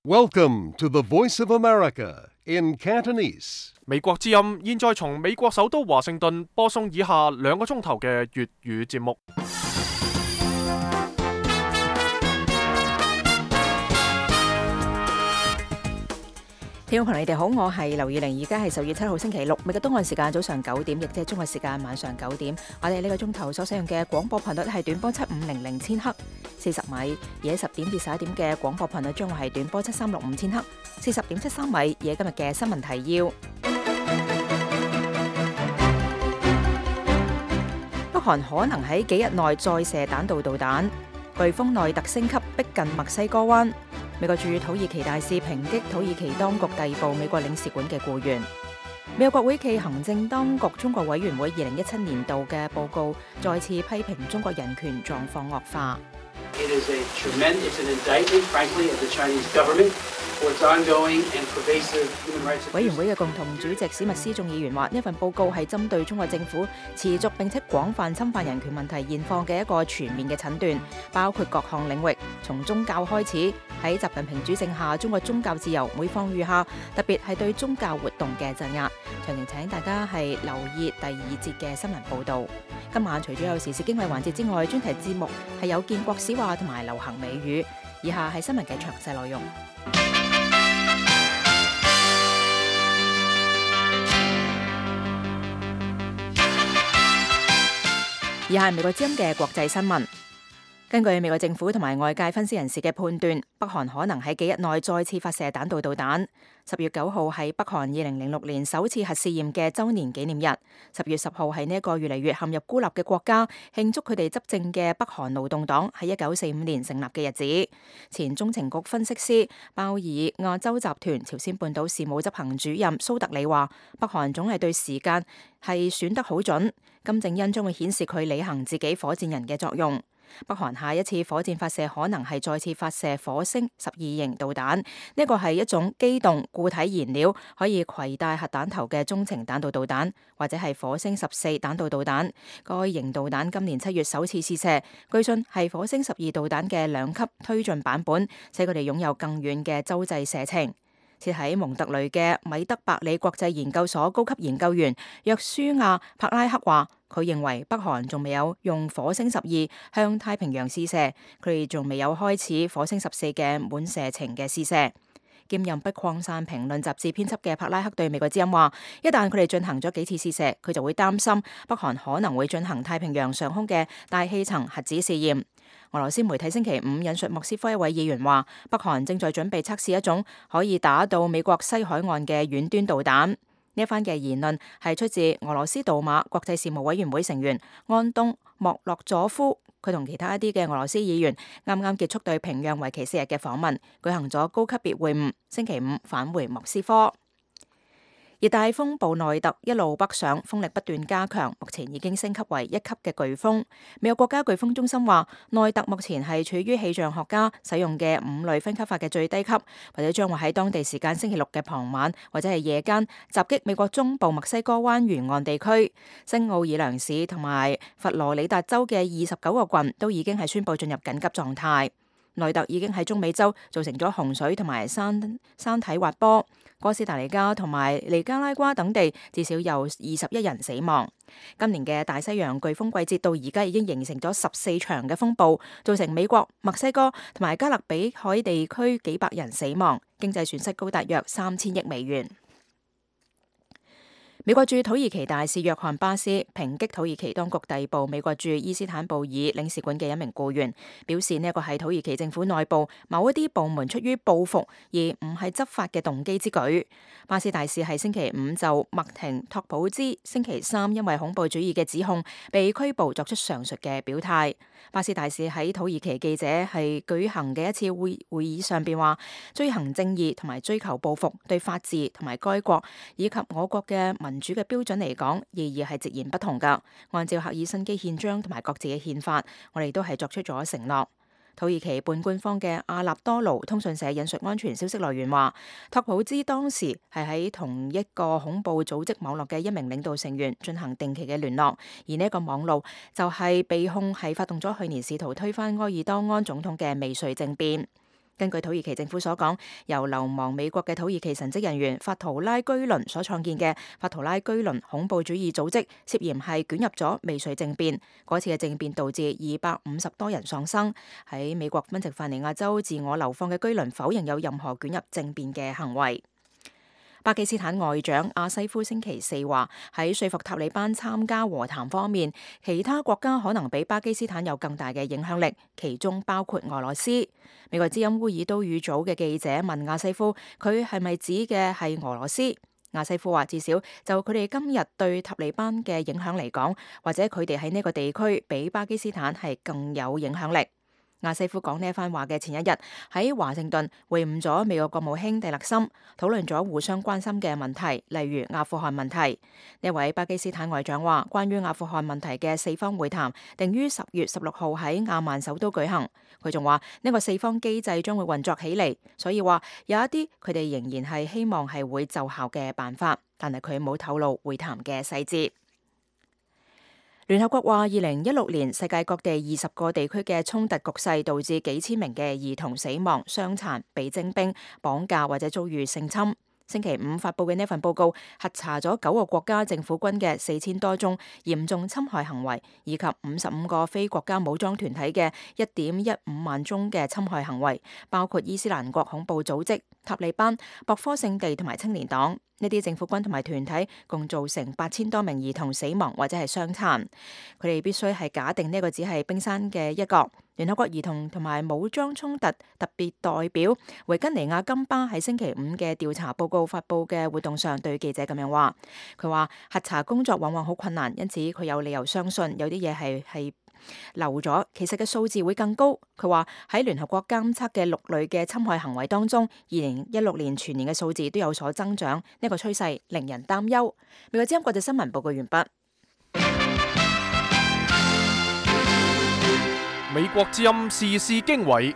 Welcome to the Voice of America in Cantonese. 美國之音現在從美國首都華盛頓播送以下2個鐘頭嘅粵語節目。聽眾朋友，你哋好，我係劉以玲，而家係10月7號星期六，美國東岸時間早上9點，亦即係中國時間晚上9點。我哋呢個鐘頭所使用嘅廣播頻率係短波7500千赫40米，而喺10點至11點嘅廣播頻率將會係短波7365千赫40.73米。而喺今日嘅新聞提要，北韓可能喺幾日內再射彈道導彈，颶風內特升級逼近墨西哥灣。美國駐土耳其大使抨擊土耳其當局逮捕美國領事館嘅僱員。美國國會暨行政當局中國委員會2017年度嘅報告再次批評中國人權狀況惡化。委員會嘅共同主席史密斯眾議員話：呢份報告係針對中國政府持續並且廣泛侵犯人權問題現況嘅一個全面嘅診斷，包括各項領域，從宗教開始。喺習近平主政下，中國宗教自由每況愈下，特別係對宗教活動嘅鎮壓。詳情請大家係留意第2節嘅新聞報導。今晚除咗有時事經緯環節之外，專題節目係有建國史話同埋流行美語。以下係新聞嘅詳細內容。以下係美國之音嘅國際新聞。根據美國政府同埋外界分析人士嘅判斷，北韓可能喺幾日內再次發射彈道導彈。10月9號係北韓2006年首次核試驗嘅週年紀念日。10月10號係呢一個越嚟越陷入孤立嘅國家慶祝佢哋執政嘅北韓勞動黨喺1945年成立嘅日子。前中情局分析師鮑爾亞洲集團朝鮮半島事務執行主任蘇特里話：北韓總係對時間係選得好準，金正恩將會顯示佢履行自己火箭人嘅作用。北韓下一次火箭發射可能係再次發射火星12型導彈，呢個係一種機動固體燃料可以攜帶核彈頭嘅中程彈道導彈，或者係火星14彈道導彈。該型導彈今年7月首次試射，據信係火星12導彈嘅2級推進版本，使佢哋擁有更遠嘅洲際射程。設喺蒙特雷嘅米德伯里國際研究所高級研究員約書亞柏拉克話：佢認為北韓仲未有用火星12向太平洋試射，佢哋仲未有開始火星14嘅滿射程嘅試射。兼任不擴散評論雜誌編輯嘅柏拉克對美國之音話：一旦佢哋進行咗幾次試射，佢就會擔心北韓可能會進行太平洋上空嘅大氣層核子試驗。俄羅斯媒體星期5引述莫斯科一位議員話：北韓正在準備測試一種可以打到美國西海岸嘅遠端導彈。呢一番嘅言論係出自俄羅斯杜馬國際事務委員會成員安東莫洛佐夫。佢同其他一啲嘅俄羅斯議員啱啱結束對平壤為期4日嘅訪問，舉行咗高級別會晤，星期5返回莫斯科。熱帶風暴內特一路北上，風力不斷加強，目前已經升級為1級嘅颶風。美國國家颶風中心話，內特目前係處於氣象學家使用嘅5類分級法嘅最低級，或者將會喺當地時間星期6嘅傍晚或者係夜間襲擊美國中部墨西哥灣沿岸地區。新奧爾良市同埋佛羅里達州嘅29個郡都已經係宣布進入緊急狀態。內特已經喺中美洲造成咗洪水同埋山體滑坡，哥斯達黎加同埋尼加拉瓜等地至少有21人死亡。今年嘅大西洋颶風季節到而家已經形成咗14場嘅風暴，造成美國、墨西哥同埋加勒比海地區幾百人死亡，經濟損失高達約3000億美元。美國駐土耳其大使約翰巴斯抨擊土耳其當局逮捕美國駐伊斯坦布爾領事館嘅一名僱員，表示呢一個係土耳其政府內部某一啲部門出於報復而唔係執法嘅動機之舉。巴斯大使喺星期5就麥廷托普茲星期3因為恐怖主義嘅指控被拘捕作出上述嘅表態。巴斯大使喺土耳其記者係舉行嘅一次會議上邊話，追行正義同埋追求報復對法治同埋該國以及我國嘅民主嘅標準嚟講，意義係截然不同㗎。按照赫爾辛基憲章同埋各自嘅憲法，我哋都係作出咗承諾。土耳其半官方嘅阿納多盧通訊社引述安全消息來源話，托普茲當時係喺同一個恐怖組織網絡嘅一名領導成員進行定期嘅聯絡，而呢一個網路就係被控係發動咗去年試圖推翻埃爾多安總統嘅未遂政變。根據土耳其政府所講，由流亡美國嘅土耳其神職人員法圖拉居倫所創建嘅法圖拉居倫恐怖主義組織涉嫌係捲入咗未遂政變。嗰次嘅政變導致250多人喪生。喺美國賓夕法尼亞州自我流放嘅居倫否認有任何捲入政變嘅行為。巴基斯坦外長阿西夫星期四話，喺說服塔利班參加和談方面，其他國家可能比巴基斯坦有更大嘅影響力，其中包括俄羅斯。美國之音烏爾都語組嘅記者問阿西夫，佢係咪指嘅係俄羅斯？阿西夫話，至少就佢哋今日對塔利班嘅影響嚟講，或者佢哋喺呢個地區比巴基斯坦係更有影響力。阿西夫講呢一番話嘅前一日，喺華盛頓會晤咗美國國務卿蒂勒森，討論咗互相關心嘅問題，例如阿富汗問題。呢位巴基斯坦外長話，關於阿富汗問題嘅四方會談定於10月16號喺亞曼首都舉行。佢仲話呢個四方機制將會運作起嚟，所以話有一啲佢哋仍然係希望係會奏效嘅辦法，但係佢冇透露會談嘅細節。聯合國話，2016年世界各地20個地區嘅衝突局勢導致幾千名嘅兒童死亡、傷殘、被徵兵、綁架或者遭遇性侵。星期五發布嘅呢份報告核查咗9個國家政府軍嘅4000多宗嚴重侵害行為，以及55個非國家武裝團體嘅1.15萬宗嘅侵害行為，包括伊斯蘭國恐怖組織、塔利班、博科聖地同埋青年黨。呢啲政府軍同埋團體共造成8000多名兒童死亡或者係傷殘。佢哋必須係假定呢個只係冰山嘅一角。聯合國兒童同埋武裝衝突特別代表維根尼亞金巴喺星期五嘅調查報告發布嘅活動上對記者咁樣話，佢話核查工作往往好困難，因此佢有理由相信有啲嘢係漏咗，其實嘅數字會更高。佢話喺聯合國監測嘅6類嘅侵害行為當中，2016年全年嘅數字都有所增長，呢個趨勢令人擔憂。美國之音國際新聞報告完畢。美國之音時事經緯，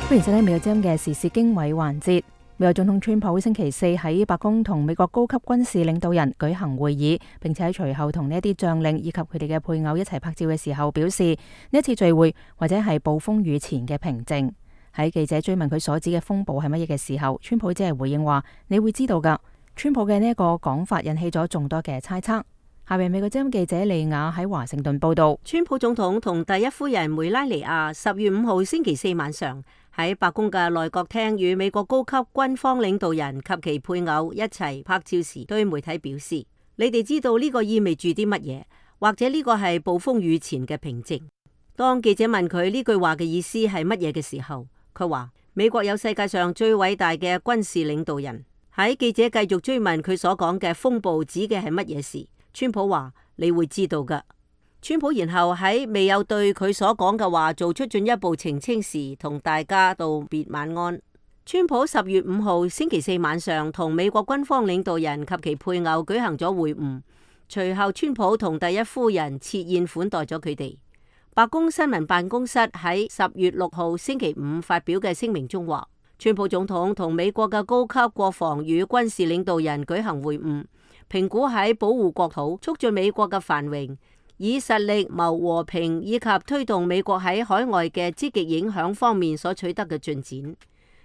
歡迎收聽美國之音嘅時事經緯環節。美國總統川普星期四喺白宮同美國高級軍事領導人舉行會議，並且喺隨後同呢一啲將領以及佢哋嘅配偶一齊拍照嘅時候表示，呢一次聚會或者係暴風雨前嘅平靜。喺記者追問佢所指嘅風暴係乜嘢嘅時候，川普只係回應話：你會知道㗎。川普嘅呢一個講法引起咗眾多嘅猜測。下邊美國之音記者利亞喺華盛頓報道，川普總統同第一夫人梅拉尼亞10月5號星期四晚上喺白宮嘅內閣廳與美國高級軍方領導人及其配偶一齊拍照時，對媒體表示：你哋知道呢個意味住啲乜嘢？或者呢個係暴風雨前嘅平靜？當記者問佢呢句話嘅意思係乜嘢嘅時候，佢話：美國有世界上最偉大嘅軍事領導人。喺記者繼續追問佢所講嘅風暴指嘅係乜嘢時，川普話：你會知道㗎。川普然後喺未有對佢所講嘅話做出進一步澄清時，同大家道別晚安。川普10月5號星期四晚上同美國軍方領導人及其配偶舉行咗會晤，隨後川普同第一夫人設宴款待咗佢哋。白宮新聞辦公室喺10月6號星期五發表嘅聲明中話，川普總統同美國嘅高級國防與軍事領導人舉行會晤，評估喺保護國土、促進美國嘅繁榮、以實力謀和平以及推動美國喺海外嘅積極影響方面所取得嘅進展。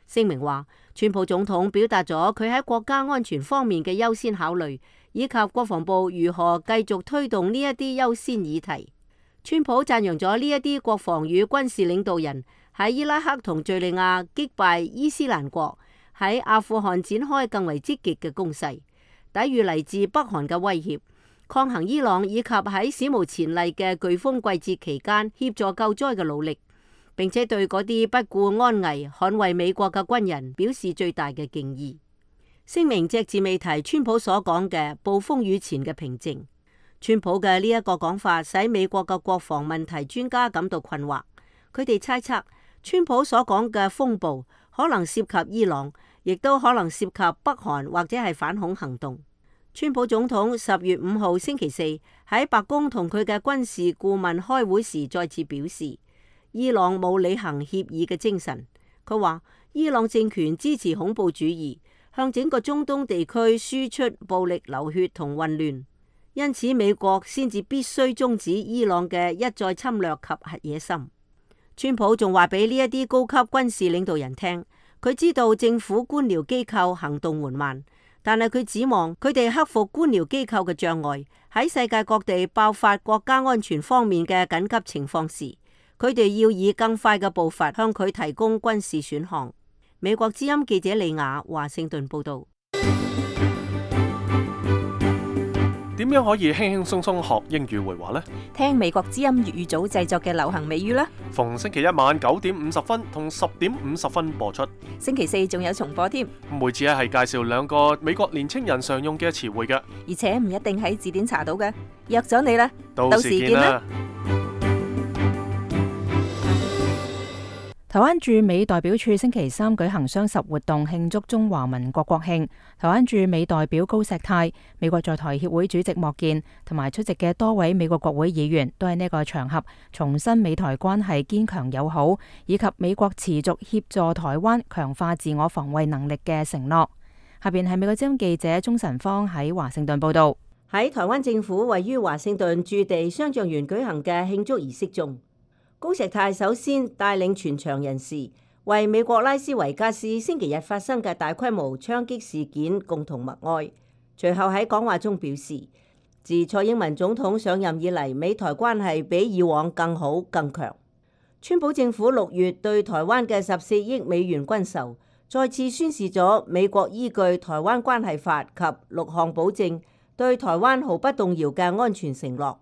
聲明話，川普總統表達咗佢喺國家安全方面嘅優先考慮，以及國防部如何繼續推動呢一啲優先議題。川普讚揚咗呢一啲國防與軍事領導人喺伊拉克同敘利亞擊敗伊斯蘭國，喺阿富汗展開更為積極嘅攻勢，抵禦嚟自北韓嘅威脅，抗衡伊朗以及喺史無前例嘅颶風季節期間協助救災嘅努力，並且對嗰啲不顧安危捍衛美國嘅軍人表示最大嘅敬意。聲明隻字未提川普所講嘅暴風雨前嘅平靜。川普嘅呢一個講法使美國嘅國防問題專家感到困惑，佢哋猜測川普所講嘅風暴可能涉及伊朗，亦都可能涉及北韓或者係反恐行動。川普總統10月5號星期四喺白宮同佢嘅軍事顧問開會時再次表示，伊朗冇履行協議嘅精神。佢話伊朗政權支持恐怖主義，向整個中東地區輸出暴力流血同混亂，因此美國先至必須終止伊朗嘅一再侵略及核野心。川普仲話俾呢一啲高級軍事領導人聽，佢知道政府官僚機構行動緩慢，但係佢指望佢哋克服官僚機構嘅障礙，喺世界各地爆發國家安全方面嘅緊急情況時，佢哋要以更快嘅步伐向佢提供軍事選項。美國之音記者李雅華盛頓報道。點樣可以輕輕鬆鬆學英語會話呢？聽美國之音粵語組製作嘅流行美語啦。逢星期一晚9:50同10:50播出。星期四仲有重播添。每次係介紹2個美國年青人常用嘅詞彙嘅，而且唔一定喺字典查到嘅。約咗你啦，到時見啦。台灣駐美代表處星期三舉行雙十活動，慶祝中華民國國慶。台灣駐美代表高石泰、美國在台協會主席莫健同埋出席嘅多位美國國會議員都喺呢個場合重申美台關係堅強友好，以及美國持續協助台灣強化自我防衛能力嘅承諾。下邊係美國之音記者鍾晨芳喺華盛頓報道。喺台灣政府位於華盛頓駐地商像園舉行嘅慶祝儀式中，高石泰首先帶領全場人士為美國拉斯維加斯星期日發生嘅大規模槍擊事件共同默哀。隨後喺講話中表示，自蔡英文總統上任以嚟，美台關係比以往更好更強。川普政府6月對台灣嘅14億美元軍售，再次宣示咗美國依據《台灣關係法》及6項保證，對台灣毫不動搖嘅安全承諾。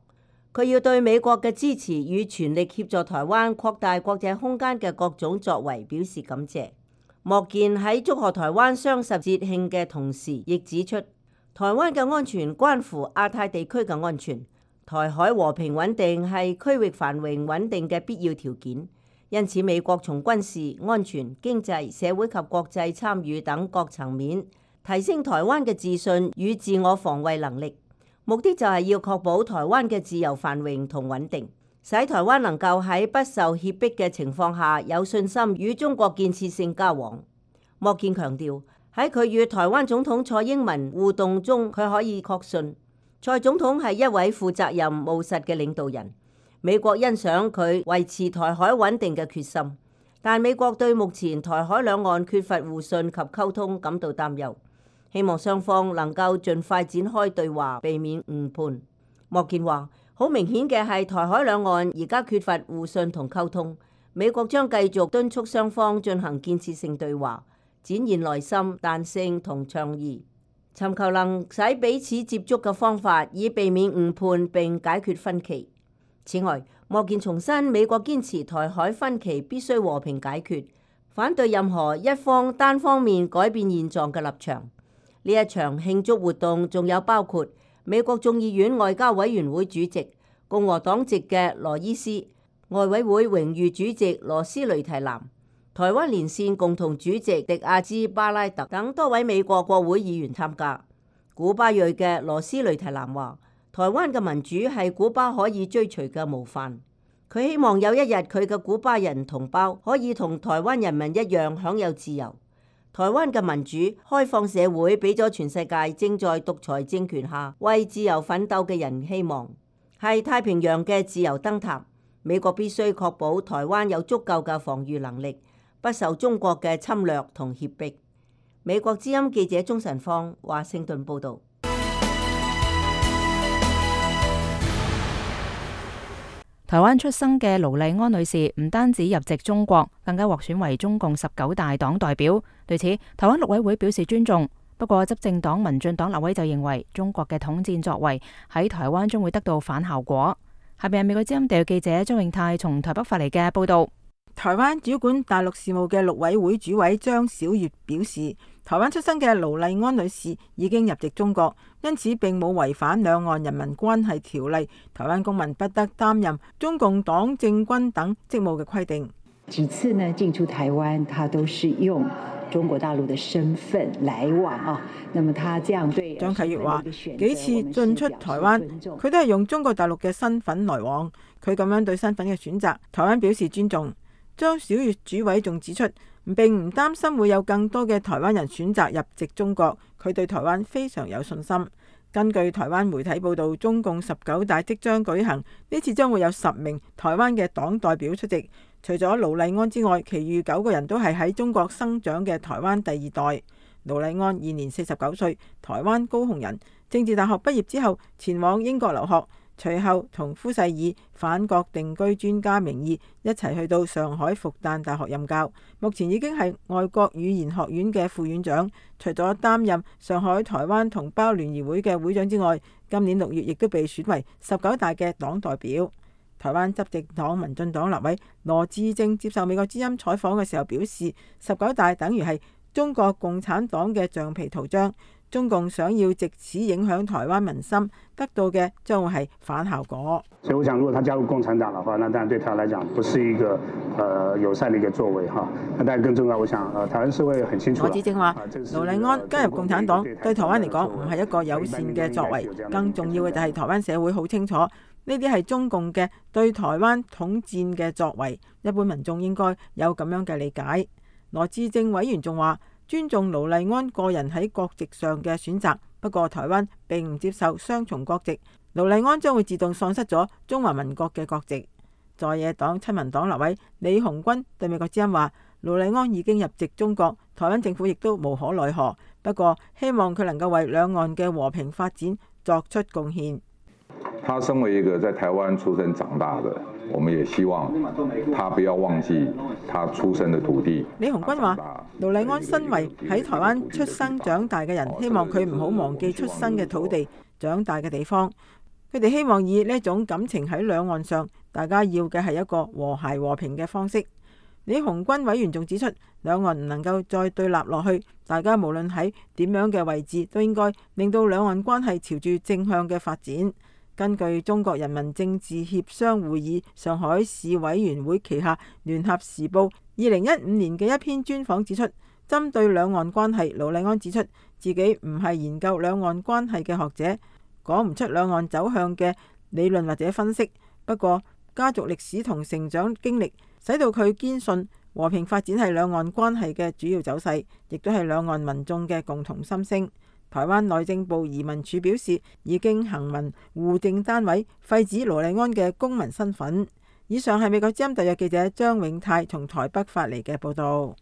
佢要對美國嘅支持與全力協助台灣擴大國際空間嘅各種作為表示感謝。莫健喺祝賀台灣雙十節慶嘅同時，亦指出台灣嘅安全關乎亞太地區嘅安全，台海和平穩定係區域繁榮穩定嘅必要條件。因此，美國從軍事、安全、經濟、社會及國際參與等各層面提升台灣嘅自信與自我防衛能力。目的就係要確保台灣嘅自由繁榮同穩定，使台灣能夠喺不受脅迫嘅情況下有信心與中國建設性交往。莫健強調，喺佢與台灣總統蔡英文互動中，佢可以確信蔡總統係一位負責任務實嘅領導人。美國欣賞佢維持台海穩定嘅決心，但美國對目前台海兩岸缺乏互信及溝通感到擔憂。希望雙方能夠盡快展開對話，避免誤判。莫健話：好明顯嘅係台海兩岸而家缺乏互信同溝通，美國將繼續敦促雙方進行建設性對話，展現耐心、彈性同倡議，尋求能使彼此接觸嘅方法，以避免誤判並解決分歧。此外，莫健重申美國堅持台海分歧必須和平解決，反對任何一方單方面改變現狀嘅立場。呢一場慶祝活動仲有包括美國眾議院外交委員會主席共和黨籍嘅羅伊斯、外委會榮譽主席羅斯雷提南、台灣連線共同主席迪亞茲巴拉特等多位美國國會議員參加。古巴裔嘅羅斯雷提南話：台灣嘅民主係古巴可以追隨嘅模範。佢希望有一日佢嘅古巴人同胞可以同台灣人民一樣享有自由。台灣嘅民主開放社會俾咗全世界正在獨裁政權下為自由奮鬥嘅人希望，係太平洋嘅自由燈塔。美國必須確保台灣有足夠嘅防禦能力，不受中國嘅侵略同脅迫。美國之音記者鍾晨芳華盛頓報導。台灣出生嘅盧麗安女士唔單止入籍中國，更加獲選為中共19大黨代表。對此，台灣陸委會表示尊重。不過，執政黨民進黨立委就認為，中國嘅統戰作為喺台灣將會得到反效果。下邊係美國之音地記者張永泰從台北發嚟嘅報道。台灣主管大陸事務嘅陸委會主委張曉月表示，台灣出生嘅盧麗安女士已經入籍中國，因此並冇違反兩岸人民關係條例，台灣公民不得擔任中共黨政軍等職務嘅規定。幾次呢進出台灣，他都是用中國大陸的身份來往啊。那麼他這樣對張啟月話，幾次進出台灣，佢都係用中國大陸嘅身份來往，佢咁樣對身份嘅選擇，台灣表示尊重。張曉月主委仲指出，並唔擔心會有更多嘅台灣人選擇入籍中國，佢對台灣非常有信心。根據台灣媒體報道，中共19大即將舉行，呢次將會有10名台灣嘅黨代表出席，除咗盧麗安之外，其餘9個人都係喺中國生長嘅台灣第二代。盧麗安現年49歲，台灣高雄人，政治大學畢業之後前往英國留學，隨後同夫婿以返國定居專家名義一齊去到上海復旦大學任教，目前已經係外國語言學院嘅副院長。除咗擔任上海台灣同胞聯誼會嘅會長之外，今年6月亦都被選為19大嘅黨代表。台灣執政黨民進黨立委羅致政接受美國之音採訪嘅時候表示，19大等於係中國共產黨嘅橡皮圖章，中共想要藉此影響台灣民心，得到嘅將會係反效果。所以我想，如果他加入共產黨的話，那當然對他來講不是一個友善的一個作為哈。那當然更重要，我想台灣社會很清楚。羅致政話，盧麗安加入共產黨對台灣嚟講唔係一個友善嘅作為，更重要嘅就係台灣社會好清楚，呢啲係中共嘅對台灣統戰嘅作為，一般民眾應該有咁樣嘅理解。羅致政委員仲話，尊重盧麗安個人喺國籍上嘅選擇，不過台灣並唔接受雙重國籍，盧麗安將會自動喪失咗中華民國嘅國籍。在野黨親民黨立委李鴻鈞對美國之音話，盧麗安已經入籍中國，台灣政府亦都無可奈何，不過希望佢能夠為兩岸嘅和平發展作出貢獻。他身為一個在台灣出生長大的，我們也希望他不要忘記他出生的土地。李鴻鈞話，盧麗安身為喺台灣出生長大嘅人，希望佢唔好忘記出生嘅土地、長大嘅地方。佢哋希望以呢種感情喺兩岸上，大家要嘅係一個和諧和平嘅方式。李鴻鈞委員仲指出，兩岸唔能夠再對立落去，大家無論喺點樣嘅位置，都應該令到兩岸關係朝住正向嘅發展。根據中國人民政治協商會議上海市委員會旗下聯合時報2015年嘅一篇專訪指出，針對兩岸關係，盧麗安指出自己唔係研究兩岸關係嘅學者，講唔出兩岸走向嘅理論或者分析。不過家族歷史同成長經歷使到佢堅信和平發展係兩岸關係嘅主要走勢，亦都係兩岸民眾嘅共同心聲。台灣內政部移民署表示，已經行文戶政單位廢止盧麗安嘅公民身份。以上係美國之音特約記者張永泰從台北發嚟嘅報導。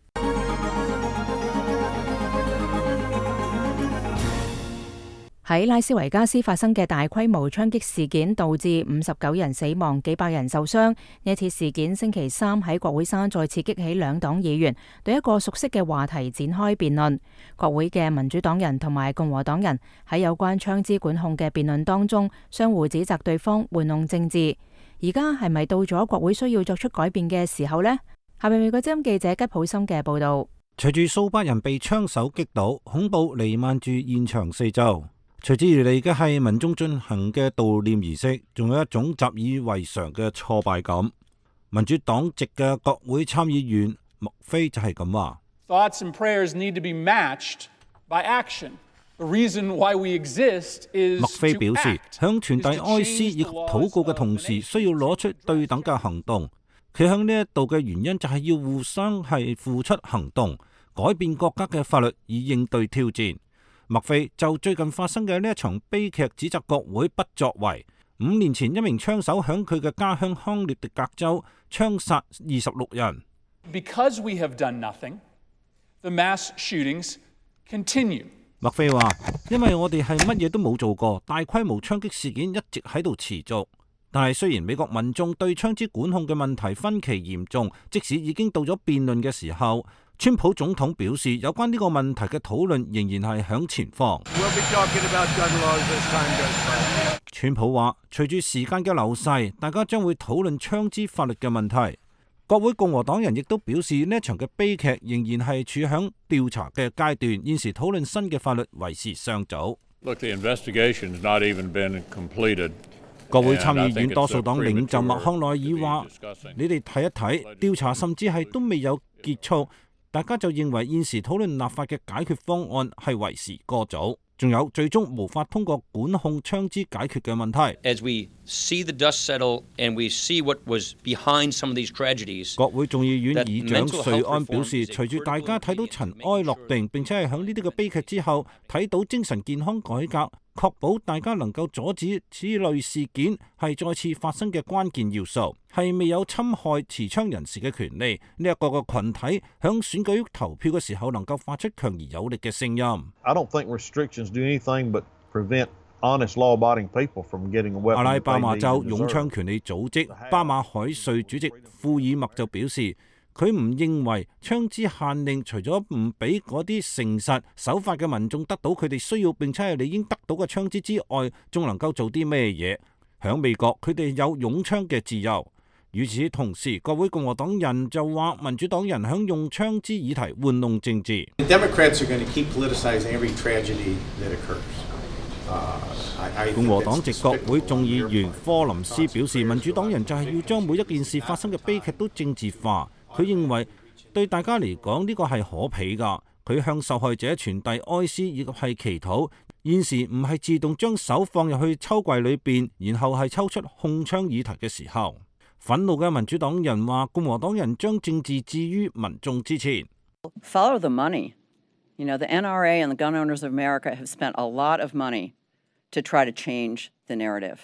喺拉斯維加斯發生嘅大規模槍擊事件，導致59人死亡、幾百人受傷。呢次事件星期三喺國會山再次激起兩黨議員對一個熟悉嘅話題展開辯論。國會嘅民主黨人同埋共和黨人喺有關槍支管控嘅辯論當中，相互指責對方玩弄政治。而家係咪到咗國會需要作出改變嘅時候呢？下面美國之音記者吉普森嘅報道。隨住數百人被槍手擊倒，恐怖彌漫住現場四周。隨之而嚟嘅係民眾進行嘅悼念儀式，仲有一種習以為常嘅挫敗感。民主黨籍嘅國會參議員麥菲就係咁話。Thoughts and prayers need to be matched by action. The reason why we exist is to act. 麥菲表示，響傳遞哀思以及禱告嘅同時，需要攞出對等嘅行動。佢響呢一度嘅原因就係要互相係付出行動，改變國家嘅法律以應對挑戰。麥菲就最近發生嘅呢一場悲劇指責國會不作為。5年前，一名槍手響佢嘅家鄉康涅狄格州槍殺26人。Because we have done nothing, the mass shootings continue. 麥菲話：因為我哋係乜嘢都冇做過，大規模槍擊事件一直喺度持續。但係雖然美國民眾對槍支管控嘅問題分歧嚴重，即使已經到咗辯論嘅時候，川普總統表示，有關呢個問題嘅討論仍然係響前方。川普話，隨住時間嘅流逝，大家將會討論槍支法律嘅問題。國會共和黨人亦都表示，呢一場嘅悲劇仍然係處響調查嘅階段，現時討論新嘅法律為時尚早。國會參議院多數黨領袖麥康奈爾話：你哋睇一睇，調查甚至係都未有結束，大家就認為現時討論立法嘅解決方案係為時過早，仲有最終無法通過管控槍支解決嘅問題。國會眾議院議長瑞安表示，隨住大家睇到塵埃落定，並且係喺呢啲嘅悲劇之後睇到精神健康改革確保大家能夠阻止此類事件係再次發生嘅關鍵要素，係未有侵害持槍人士嘅權利呢一個群體響選舉投票嘅時候能夠發出強而有力嘅聲音。I don't think restrictions do anything but prevent honest law-abiding people from getting a weapon. 阿拉巴馬州擁槍權利組織巴馬海瑞主席庫爾默就表示，佢唔認為槍支限令除咗唔俾嗰啲誠實守法嘅民眾得到佢哋需要並且係理應得到嘅槍支之外，仲能夠做啲咩嘢？響美國，佢哋有擁槍嘅自由。與此同時，國會共和黨人就話民主黨人響用槍支議題玩弄政治。共和黨籍國會眾議員科林斯表示，民主黨人就係要將每一件事發生嘅悲劇都政治化。佢認為對大家嚟講呢個係可鄙㗎。佢向受害者傳遞哀思以及係祈禱。現時唔係自動將手放入去抽櫃裏邊，然後係抽出控槍議題嘅時候。憤怒嘅民主黨人話，共和黨人將政治置於民眾之前。Follow the money. You know, the NRA and the gun owners of America have spent a lot of money to try to change the narrative.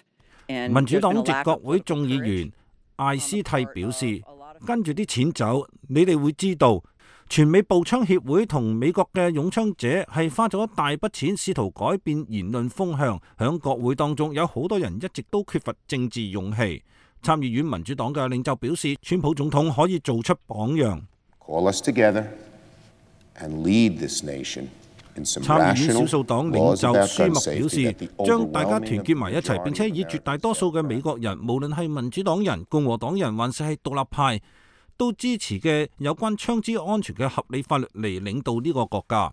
民主黨籍國會眾議員艾斯蒂表示，跟住啲錢走，你哋會知道，全美步槍協會同美國嘅擁槍者係花咗一大筆錢試圖改變言論風向。響國會當中有好多人一直都缺乏政治勇氣。參議院民主黨嘅領袖表示，川普總統可以做出榜樣。參議院少數黨領袖舒默表示，將大家團結埋一齊，並且以絕大多數嘅美國人，無論係民主黨人、共和黨人，還是係獨立派，都支持嘅有關槍支安全嘅合理法律嚟領導呢個國家。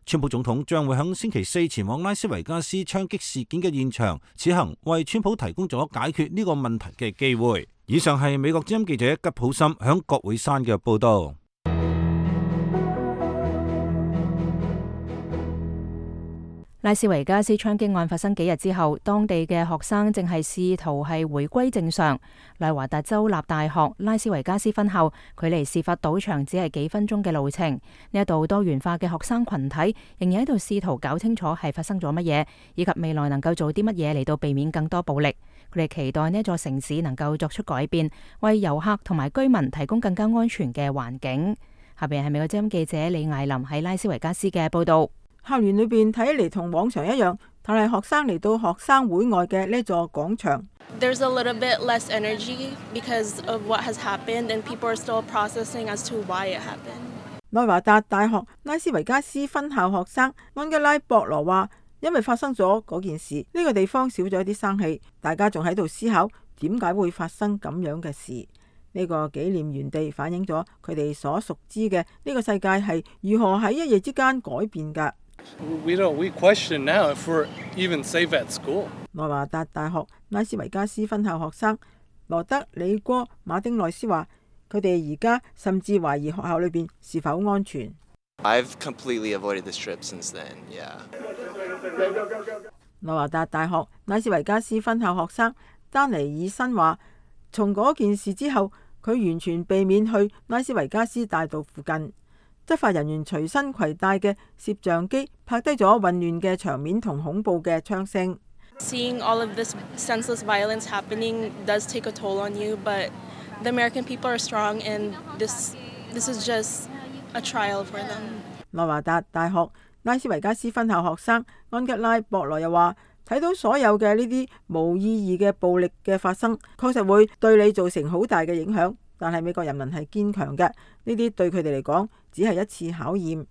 川普總統將會喺星期四前往拉斯維加斯槍擊事件嘅現場，此行為川普提供咗解決呢個問題嘅機會。以上係美國之音記者吉普森響國會山嘅報道。拉斯維加斯槍擊案發生幾日之後，當地嘅學生正係試圖係回歸正常。內華達州立大學拉斯維加斯分校距離事發賭場只係幾分鐘嘅路程。呢一度多元化嘅學生群體仍然喺度試圖搞清楚係發生咗乜嘢，以及未來能夠做啲乜嘢嚟到避免更多暴力。佢哋期待呢一座城市能夠作出改變，為遊客同埋居民提供更加安全嘅環境。下邊係美國之音記者李艾琳喺拉斯維加斯嘅報道。校園裏邊睇嚟同往常一樣，但係學生嚟到學生會外嘅呢座廣場。There's a little bit less energy because of what has happened, and people are still processing as to why it happened. 內華達大學拉斯維加斯分校學生安吉拉博羅話，因為發生咗嗰件事，呢個地方少咗一啲生氣，大家仲喺度思考點解會發生咁樣嘅事。呢個紀念園地反映咗佢哋所熟知嘅呢個世界係如何喺一夜之間改變㗎。We question now if we're even safe at school. 內華達大學拉斯維加斯分校學生羅德里戈馬丁內斯話，佢哋而家甚至懷疑學校裏邊是否安全。I've completely avoided this trip since then, yeah. 內華達大學拉斯維加斯分校學生丹尼爾森話，從嗰件事之後，佢完全避免去拉斯維加斯大道附近。執法人員隨身攜帶嘅攝像機拍低咗混亂嘅場面同恐怖嘅槍聲。Seeing all of this senseless violence happening does take a toll on you, but the American people are strong, and this is just a trial for them. 內華達大學拉斯維加斯分校學生安吉拉博羅又話，睇到所有嘅呢啲無意義嘅暴力嘅發生，確實會對你造成好大嘅影響。但係美國人民係堅強嘅，呢啲對佢哋嚟講只係一次考驗。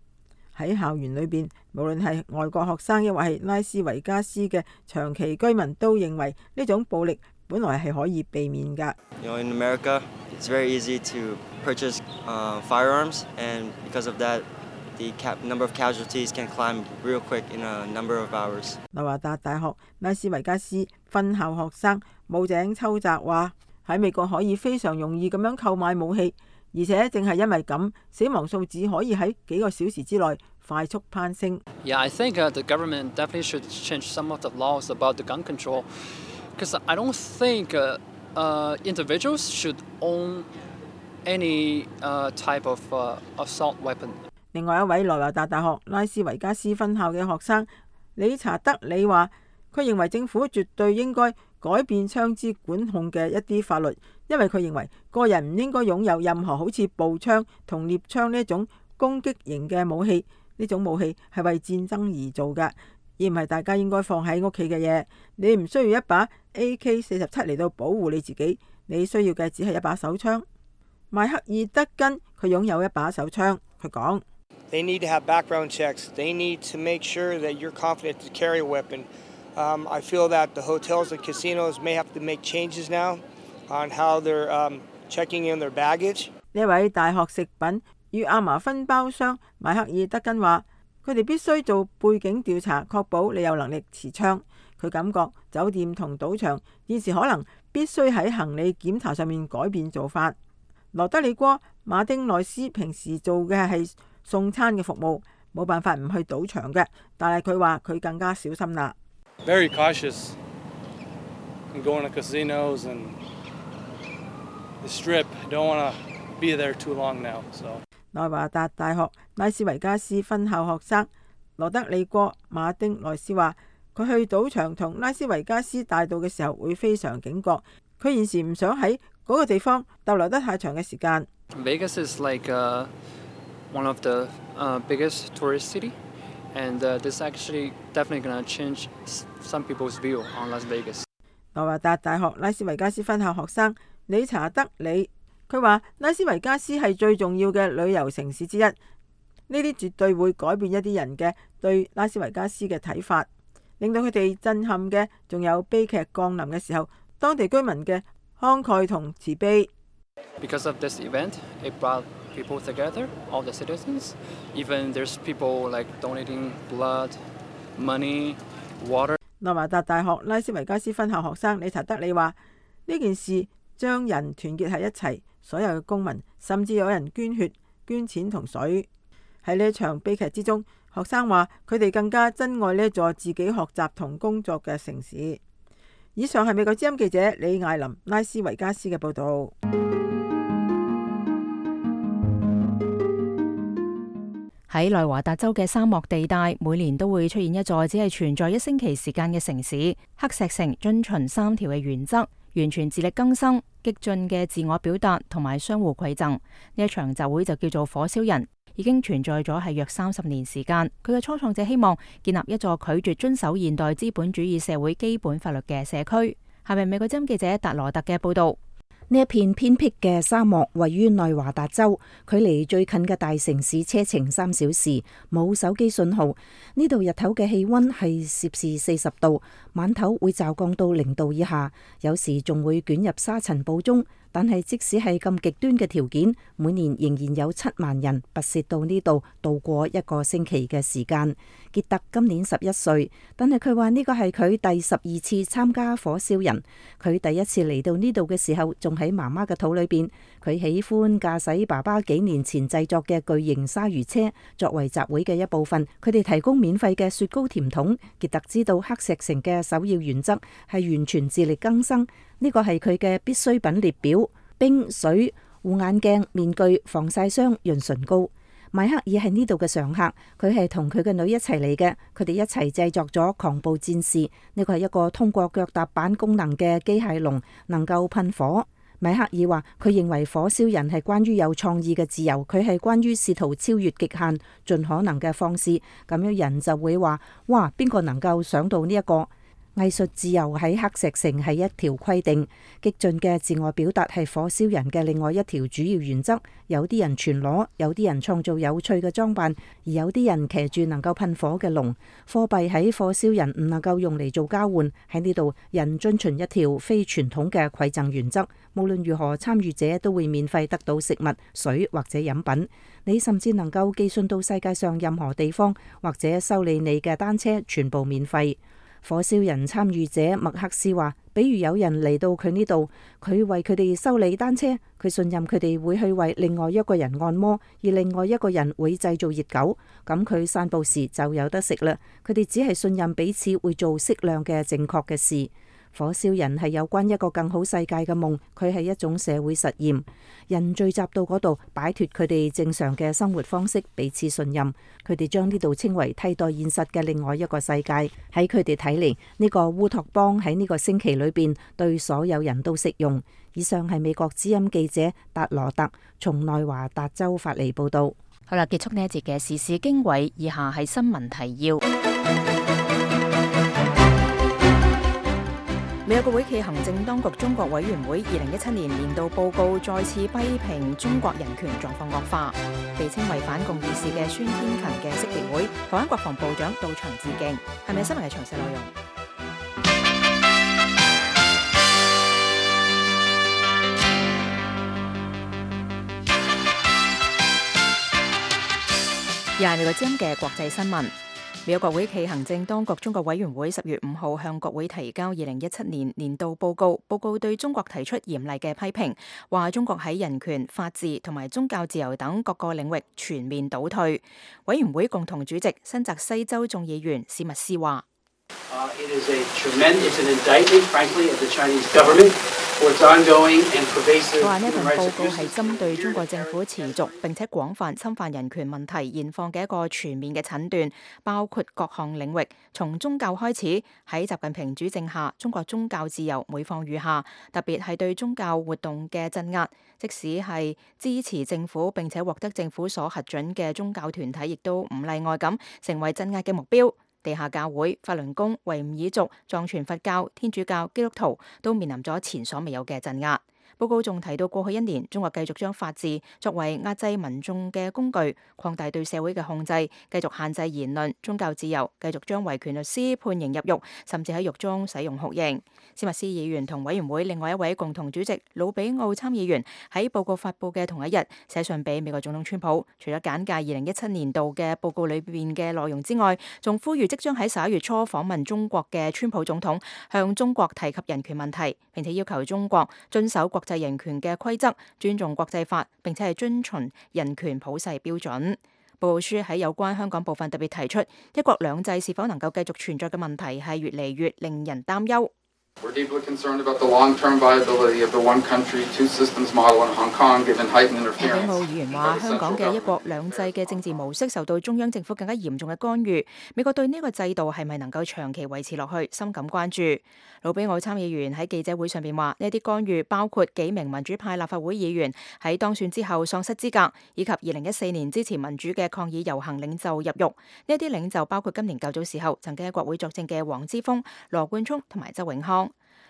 喺校園裏邊，無論係外國學生亦或係拉斯維加斯嘅長期居民，都認為呢種暴力本來係可以避免㗎。In America, it's very easy to purchase firearms, and because of that, the number of casualties can climb real quick in a number of hours. 內華達大學拉斯維加斯分校學生武井秋澤話，喺美國可以非常容易咁樣購買武器，而且正係因為咁，死亡數字可以喺幾個小時之內快速攀升。Yeah, I think the government definitely should change some of the laws about the gun control, because I don't think individuals should own any type of assault weapon. 另外一位內華達大學拉斯維加斯分校嘅學生理查德里話，佢認為政府絕對應該改變槍支管控嘅一啲法律，因為佢認為個人唔應該擁有任何好似步槍同獵槍呢一種攻擊型嘅武器。呢種武器係為戰爭而做嘅，而唔係大家應該放喺屋企嘅嘢。你唔需要一把 AK-47嚟到保護你自己，你需要嘅只係一把手槍。邁克爾德根佢擁有一把手槍，佢講：They need to have background checks. They need to make sure that you're confident to carry a weapon. I feel that the hotels and casinos may have to make changes now on how they're checking in their baggage. 呢位大學食品與亞麻分包商邁克爾德根話：佢哋必須做背景調查，確保你有能力持槍。佢感覺酒店同賭場現時可能必須喺行李檢查上面改變做法。羅德里戈馬丁內斯平時做嘅係送餐嘅服務，冇辦法唔去賭場嘅，但係佢話佢更加小心啦。Very cautious in going to casinos and the strip. Don't want to be there too long now. So. 內華達大學拉斯維加斯分校學生羅德里戈馬丁內斯話：佢去賭場同拉斯維加斯大道嘅時候會非常警覺。佢現時唔想喺嗰個地方逗留得太長嘅時間。Vegas is like one of the biggest tourist city, and this actually definitely gonna change some people's view on Las Vegas. 內華達大學拉斯維加斯分校學生理查德里佢話：拉斯維加斯係最重要嘅旅遊城市之一，呢啲絕對會改變一啲人嘅對拉斯維加斯嘅睇法，令到佢哋震撼嘅仲有悲劇降臨嘅時候，當地居民嘅慷慨同慈悲。Because of this event, it brought people together, all the citizens. Even there's people like donating blood, money, water. 內華達大學拉斯維加斯分校學生理查德里話：呢件事將人團結喺一齊，所有嘅公民甚至有人捐血、捐錢同水。喺呢一場悲劇之中，學生話佢哋更加珍愛呢座自己學習同工作嘅城市。以上係美國之音記者李艾琳拉斯維加斯嘅報導。喺內華達州嘅沙漠地帶，每年都會出現一座只係存在1星期時間嘅城市。黑石城遵循3條嘅原則，完全自力更生、激進嘅自我表達同埋相互饋贈。呢一場集會就叫做火燒人，已經存在咗係約30年時間。佢嘅初創者希望建立一座拒絕遵守現代資本主義社會基本法律嘅社區。下面美國之音記者達羅特嘅報導。呢一片偏僻嘅沙漠位於內華達州，距離最近嘅大城市車程3小時，冇手機信號。呢度日頭嘅氣溫係攝氏40度，晚頭會驟降到0度以下，有時仲會捲入沙塵暴中。但係即使係咁極端嘅條件，每年仍然有7萬人跋涉到呢度度過1個星期嘅時間。傑特今年11歲，但係佢話呢個係佢第12次參加火燒人。佢第一次嚟到呢度嘅時候，仲喺媽媽嘅肚裏邊。佢喜歡駕駛爸爸幾年前製作嘅巨型鯊魚車，作為集會嘅一部分。佢哋提供免費嘅雪糕甜筒。傑特知道黑石城嘅首要原則係完全自力更生，呢個係佢嘅必需品列表。冰、水、護眼鏡、面具、防曬霜、潤唇膏。邁克爾係呢度嘅常客，佢係同佢嘅女一齊嚟嘅，佢哋一齊製作咗狂暴戰士。呢個係一個通過腳踏板功能嘅機械龍，能夠噴火。邁克爾話：佢認為火燒人係關於有創意嘅自由，佢係關於試圖超越極限，盡可能嘅方式。咁樣人就會話：哇，邊個能夠想到呢一個？藝術自由喺黑石城係一條規定，激進嘅自我表達係火燒人嘅另外一條主要原則。有啲人全裸，有啲人創造有趣嘅裝扮，而有啲人騎住能夠噴火嘅龍。貨幣喺火燒人唔能夠用嚟做交換。喺呢度，人遵循一條非傳統嘅饋贈原則，無論如何參與者都會免費得到食物、水或者飲品。你甚至能夠寄信到世界上任何地方，或者修理你嘅單車，全部免費。火燒人參與者麥克斯話，比如有人嚟到佢呢度，佢為佢哋修理單車，佢信任佢哋會去為另外一個人按摩，而另外一個人會製造熱狗，咁佢散步時就有得食啦。佢哋只係信任彼此會做適量嘅正確嘅事。火燒人係有關一個更好世界嘅夢，佢係一種社會實驗。人聚集到嗰度，擺脫佢哋正常嘅生活方式，彼此信任。佢哋將呢度稱為替代現實嘅另外一個世界。喺佢哋睇嚟，呢個烏托邦喺呢個星期裏邊對所有人都適用。以上係美國之音記者達羅特從內華達州發嚟報道。好啦，結束呢一節嘅時事經緯，以下係新聞提要。美國國會暨行政當局中國委員會2017年年度報告再次批評中國人權狀況惡化，被稱為反共義士嘅孫天勤嘅識別會，台灣國防部長到場致敬。係咪新聞嘅詳細內容？又係美國之音嘅國際新聞。美國國會暨行政當局中國委員會10月5號向國會提交2017年年度報告，報告對中國提出嚴厲嘅批評，話中國喺人權、法治同埋宗教自由等各個領域全面倒退。委員會共同主席新澤西州眾議員史密斯話佢話呢份報告係針對中國政府持續並且廣泛侵犯人權問題現況嘅一個全面嘅診斷，包括各項領域，從宗教開始。喺習近平主政下，中國宗教自由每況愈下，特別係對宗教活動嘅鎮壓，即使係支持政府並且獲得政府所核准嘅宗教團體，亦都唔例外咁成為鎮壓嘅目標。地下教會、法輪功、維吾爾族、藏傳佛教、天主教、基督徒都面臨咗前所未有嘅鎮壓。報告仲提到，過去1年，中國繼續將法治作為壓制民眾嘅工具，擴大對社會嘅控制，繼續限制言論、宗教自由，繼續將維權律師判刑入獄，甚至喺獄中使用酷刑。史密斯議員同委員會另外一位共同主席魯比奧參議員喺報告發佈嘅同一日寫信俾美國總統川普，除咗簡介2017年度嘅報告裏邊嘅內容之外，仲呼籲即將喺11月初訪問中國嘅川普總統向中國提及人權問題，並且要求中國遵守國際人權嘅規則，尊重國際法，並且係遵循人權普世標準。報告書喺有關香港部分特別提出，一國兩制是否能夠繼續存在嘅問題係越嚟越令人擔憂。We're deeply concerned about the long-term viability of the one country, two systems model in Hong Kong, given heightened interference. 魯比奧議員話：香港嘅一國兩制嘅政治模式受到中央政府更加嚴重嘅干預，美國對呢個制度係咪能夠長期維持落去，深感關注。魯比奧參議員喺記者會上邊話：呢啲干預包括幾名民主派立法會議員喺當選之後喪失資格，以及2014年支持民主嘅抗議遊行領袖入獄。呢啲領袖包括今年較早時候曾經喺國會作證嘅黃之鋒、羅冠聰同埋周永康。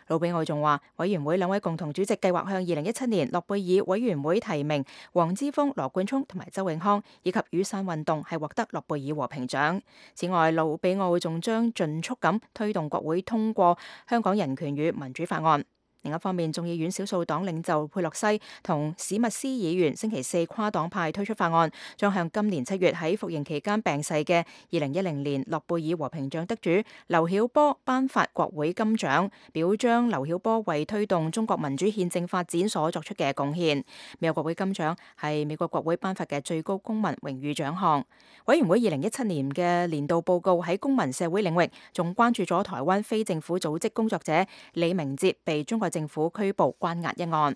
魯比奧仲話，委員會兩位共同主席計劃向2017年諾貝爾委員會提名黃之鋒、羅冠聰同埋周永康，以及雨傘運動係獲得諾貝爾和平獎。此外，魯比奧仲將盡速咁推動國會通過香港人權與民主法案。另一方面，眾議院少數黨領袖佩洛西同史密斯議員星期四跨黨派推出法案，將向今年7月喺服刑期間病逝嘅2010年諾貝爾和平獎得主劉曉波頒發國會金獎，表彰劉曉波為推動中國民主憲政發展所作出嘅貢獻。美國國會金獎係美國國會頒發嘅最高公民榮譽獎項。委員會2017年嘅年度報告喺公民社會領域仲關注咗台灣非政府組織工作者李明哲被中國政府拘捕關押一案。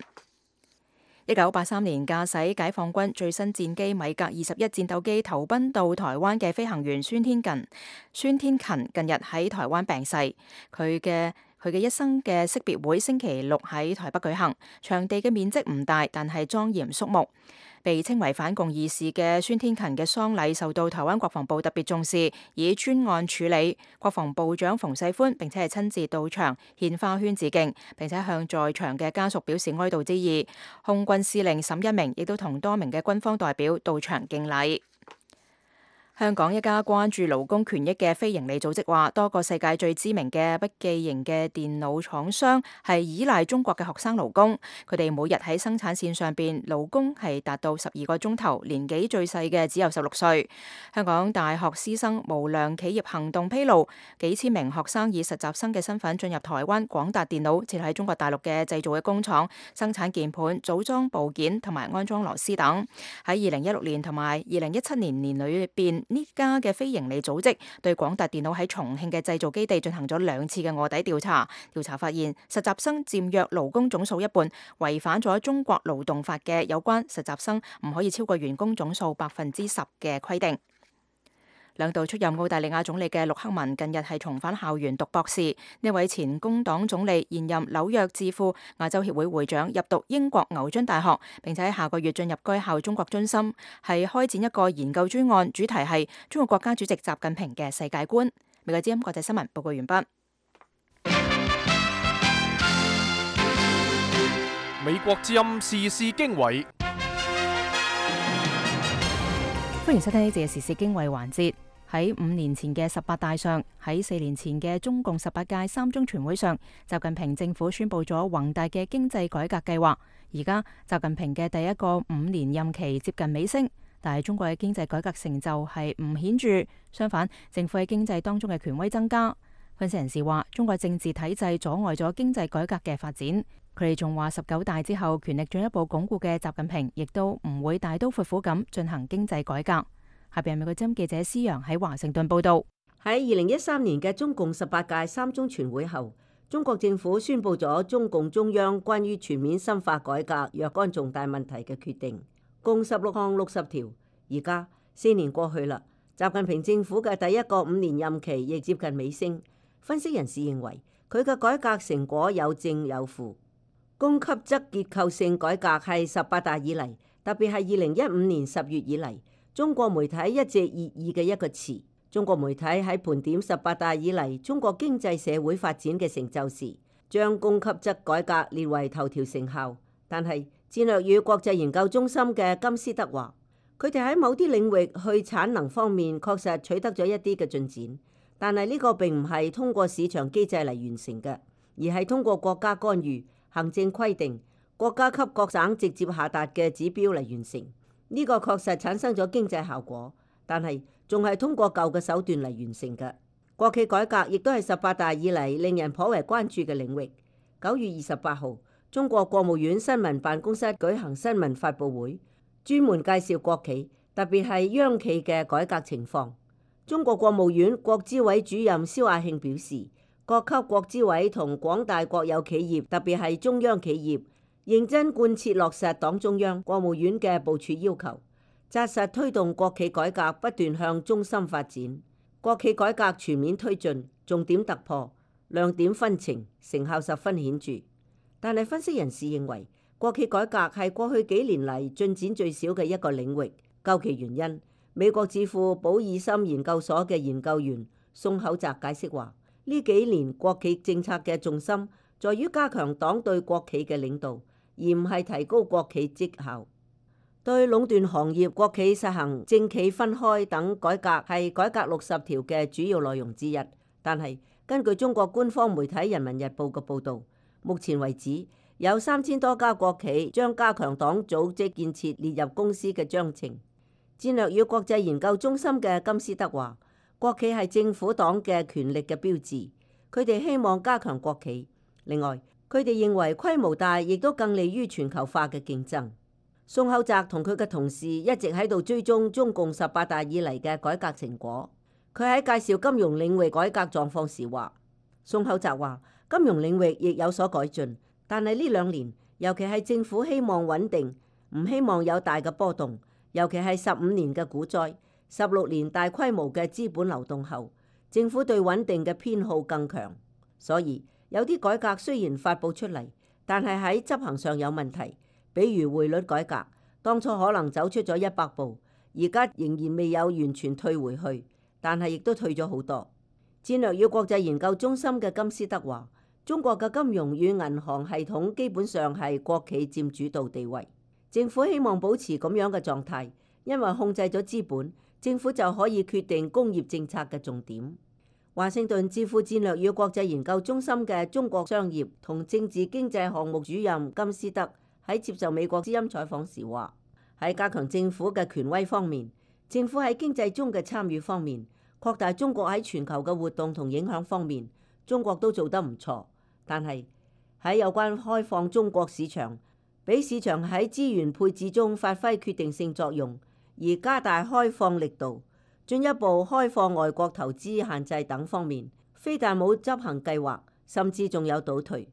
1983年駕駛解放軍最新戰機米格21戰鬥機投奔到台灣嘅飛行員孫天勤近日喺台灣病逝。佢嘅一生嘅識別會星期六喺台北舉行，場地嘅面積唔大，但係莊嚴肅穆。被稱為反共義士嘅孫天勤嘅喪禮受到台灣國防部特別重視，以專案處理。國防部長馮世寬並且係親自到場獻花圈致敬，並且向在場嘅家屬表示哀悼之意。空軍司令沈一鳴亦都同多名嘅軍方代表到場敬禮。香港一家關注勞工權益嘅非營利組織話，多個世界最知名嘅筆記型嘅電腦廠商係依賴中國嘅學生勞工，佢哋每日喺生產線上邊勞工係達到12個鐘頭，年紀最細嘅只有16歲。香港大學師生無良企業行動披露，幾千名學生以實習生嘅身份進入台灣廣達電腦設喺中國大陸嘅製造嘅工廠，生產鍵盤、組裝部件同埋安裝螺絲等。喺2016年同埋2017年年裏邊，呢家嘅非營利組織對廣達電腦喺重慶嘅製造基地進行咗2次嘅臥底調查。調查發現，實習生佔約勞工總數一半，違反咗中國勞動法嘅有關實習生唔可以超過員工總數10%嘅規定。兩度出任澳大利亞總理嘅陸克文近日係重返校園讀博士。呢位前工黨總理現任紐約智庫亞洲協會會長，入讀英國牛津大學，並且喺下個月進入該校中國中心，係開展一個研究專案，主題係中國國家主席習近平嘅世界觀。美國之音國際新聞報告完畢。美國之音時事經緯，歡迎收聽呢節嘅時事經緯環節。喺5年前嘅18大上，喺4年前嘅中共18屆三中全會上，習近平政府宣布咗宏大嘅經濟改革計劃。而家習近平嘅第一個5年任期接近尾聲，但係中國嘅經濟改革成就係唔顯著，相反，政府喺經濟當中嘅權威增加。分析人士話，中國政治體制阻礙咗經濟改革嘅發展。佢哋仲話19大之後權力進一步鞏固嘅習近平，亦都唔會大刀闊斧咁進行經濟改革。下邊係美國之音記者施洋喺華盛頓報道。喺2013年嘅中共18屆三中全會後，中國政府宣布咗中共中央關於全面深化改革若干重大問題嘅決定，共16項60條。而家4年過去啦，習近平政府嘅第一個5年任期亦接近尾聲。分析人士認為，佢嘅改革成果有正有負。供給側結構性改革係18大以嚟，特別係2015年10月以嚟，中國媒體一直熱議嘅一個詞。中國媒體喺盤點18大以嚟中國經濟社會發展嘅成就時，將供給側改革列為頭條成效。但係戰略與國際研究中心嘅金斯德話，佢哋喺某啲領域去產能方面確實取得咗一啲嘅進展，但係呢個並唔係通過市場機制嚟完成嘅，而係通過國家干預、行政規定、國家級各省直接下達嘅指標嚟完成。呢個確實產生咗經濟效果，但係仲係通過舊嘅手段嚟完成嘅。國企改革亦都係18大以嚟令人頗為關注嘅領域。9月28號，中國國務院新聞辦公室舉行新聞發佈會，專門介紹國企，特別係央企嘅改革情況。中國國務院國資委主任肖亞慶表示，各級國資委同廣大國有企業，特別係中央企業，認真貫徹落實黨中央、國務院嘅部署要求，紮實推動國企改革不斷向中心發展。國企改革全面推進，重點突破，亮點紛呈，成效十分顯著。但係分析人士認為，國企改革係過去幾年嚟進展最少嘅一個領域。究其原因，美國智庫保爾森研究所嘅研究員宋厚澤解釋話，呢幾年國企政策嘅重心在於加強黨對國企嘅領導，而唔係提高國企績效。對壟斷行業，國企實行政企分開等改革係改革60條嘅主要內容之一。但係根據中國官方媒體《人民日報》嘅報導，目前為止有3000多家國企將加強黨組織建設列入公司嘅章程。戰略與國際研究中心嘅金斯德話，國企係政府黨嘅權力嘅標誌，佢哋希望加強國企。另外，佢哋認為規模大亦都更利於全球化嘅競爭。宋厚澤同佢嘅同事一直喺度追蹤中共18大以嚟嘅改革成果。佢喺介紹金融領域改革狀況時話，宋厚澤話金融領域亦有所改進，但係呢2年，尤其係政府希望穩定，唔希望有大嘅波動，尤其係15年嘅股災、16年大規模嘅資本流動後，政府對穩定嘅偏好更強。所以有啲改革雖然發佈出嚟，但係喺執行上有問題。比如匯率改革，當初可能走出咗100步，而家仍然未有完全退回去，但係亦都退咗好多。戰略與國際研究中心嘅金斯德話，中國嘅金融與銀行系統基本上係國企佔主導地位，政府希望保持咁樣嘅狀態，因為控制咗資本，政府就可以決定工業政策嘅重點。華盛頓智庫戰略與國際研究中心嘅中國商業同政治經濟項目主任金斯德喺接受美國之音採訪時話，喺加強政府嘅權威方面，政府喺經濟中嘅參與方面，擴大中國喺全球嘅活動同影響方面，中國都做得唔錯。但係喺有關開放中國市場，俾市場喺資源配置中發揮決定性作用，而加大開放力度，進一步開放外國投資限制等方面，非但冇執行計劃，甚至仲有倒退。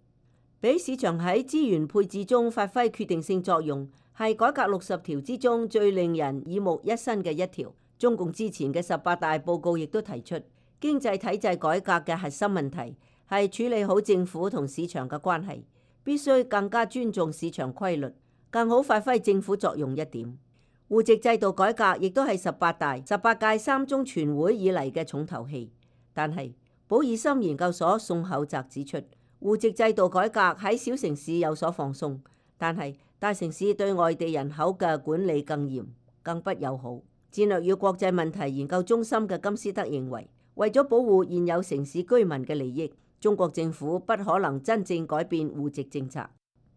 俾市場喺資源配置中發揮決定性作用，係改革60條之中最令人耳目一新嘅一條。中共之前嘅18大報告亦都提出，經濟體制改革嘅核心問題係處理好政府同市場嘅關係，必須更加尊重市場規律，更好發揮政府作用一點。戶籍制度改革亦都係18大、18屆3中全會以嚟嘅重頭戲。但係保爾森研究所宋厚澤指出，戶籍制度改革喺小城市有所放鬆，但係大城市對外地人口嘅管理更嚴、更不友好。戰略與國際問題研究中心嘅金斯德認為，為咗保護現有城市居民嘅利益，中國政府不可能真正改變戶籍政策。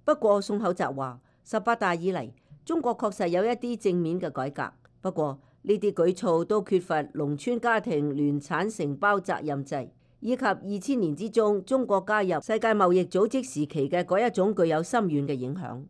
不過宋厚澤話，18大以嚟，中國確實有一啲正面嘅改革，不過呢啲舉措都缺乏農村家庭聯產承包責任制，以及2000年之中中國加入世界貿易組織時期嘅嗰一種具有深遠嘅影響。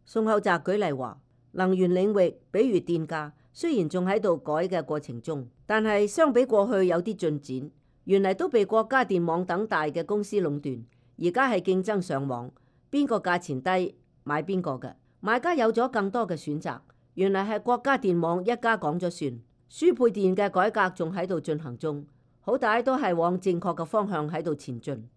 宋厚澤舉例話，能源領域，比如電價，雖然仲喺度改嘅過程中，但係相比過去有啲進展。原嚟都被國家電網等大嘅公司壟斷，而家係競爭上網，邊個價錢低買邊個嘅，買家有咗更多嘅選擇。原嚟係國家電網一家講咗算。輸配電嘅改革仲喺度進行中，好歹都係往正確嘅方向喺度前進。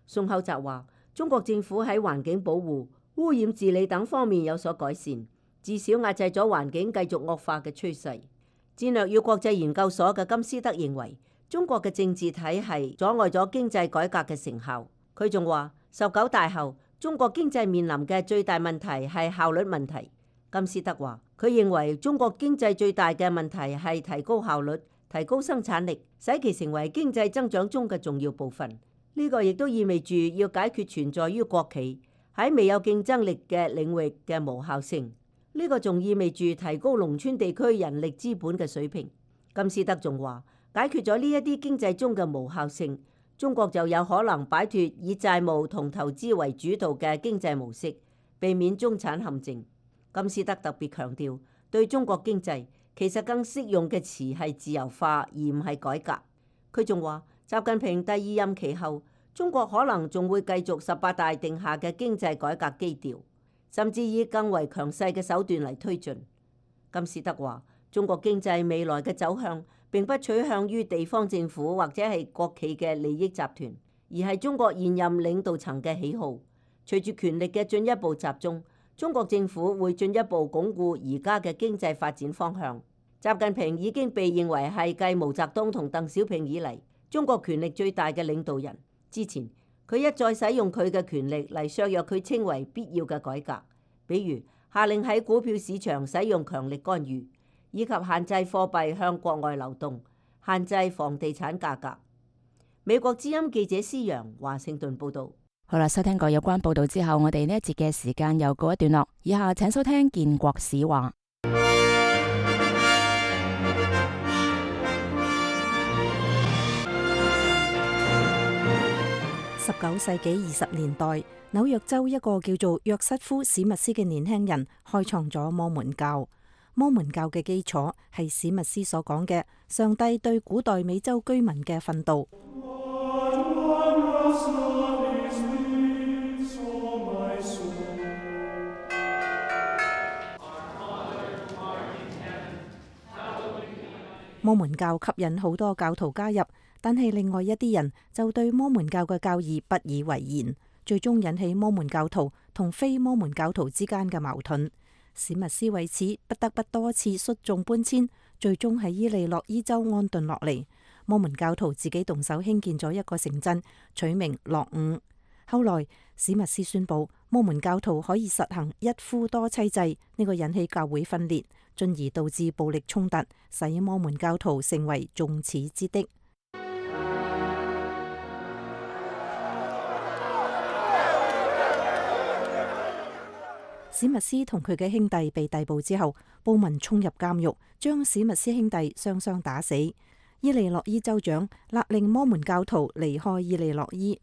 宋厚澤話，中國政府喺環境保護、污染治理等方面有所改善，至少壓制咗環境繼續惡化嘅趨勢。戰略與國際研究所嘅金斯德認為，中國嘅政治體系阻礙咗經濟改革嘅成效。佢仲話，19大後，中國經濟面臨嘅最大問題係效率問題。金斯德話，佢認為中國經濟最大嘅問題係提高效率、提高生產力，使其成為經濟增長中嘅重要部分。呢個亦都意味住要解決存在於國企喺未有競爭力嘅領域嘅無效性。呢個仲意味住提高農村地區人力資本嘅水平。金斯德仲話，解決咗呢一啲經濟中嘅無效性，中國就有可能擺脫以債務同投資為主導嘅經濟模式，避免中產陷阱。金斯德特別強調，對中國經濟其實更適用嘅詞係自由化，而唔係改革。佢仲話，習近平第2任期後，中國可能仲會繼續18大定下嘅經濟改革基調，甚至以更為強勢嘅手段嚟推進。金斯德話，中國經濟未來嘅走向並不取向於地方政府或者係國企嘅利益集團，而係中國現任領導層嘅喜好。隨住權力嘅進一步集中，中國政府會進一步鞏固而家嘅經濟發展方向。習近平已經被認為係繼毛澤東同鄧小平以嚟中國權力最大嘅領導人。之前佢一再使用佢嘅權力嚟削弱佢稱為必要嘅改革，比如下令喺股票市場使用強力干預，以及限制貨幣向國外流動，限制房地產價格。美國之音記者施洋華盛頓報道。好啦，收聽過有關報道之後，我哋呢一節嘅時間又告一段落。以下請收聽建國史話。19世紀20年代，紐約州一個叫做約瑟夫史密斯嘅年輕人開創咗摩門教。摩門教嘅基礎係史密斯所講嘅上帝對古代美洲居民嘅訓導。摩門教吸引好多教徒加入，但係另外一啲人就對摩門教嘅教義不以為然，最終引起摩門教徒同非摩門教徒之間嘅矛盾。史密斯為此不得不多次率眾搬遷，最終喺伊利諾伊州安頓落嚟。摩門教徒自己動手興建咗一個城鎮，取名樂伍。後來史密斯宣布摩門教徒可以實行一夫多妻制，呢個引起教會分裂，進而導致暴力衝突，使摩門教徒成為眾矢之的。史密斯同佢嘅兄弟被逮捕之後，暴民衝入監獄，將史密斯兄弟雙雙打死。伊利諾伊州長勒令摩門教徒離開伊利諾伊。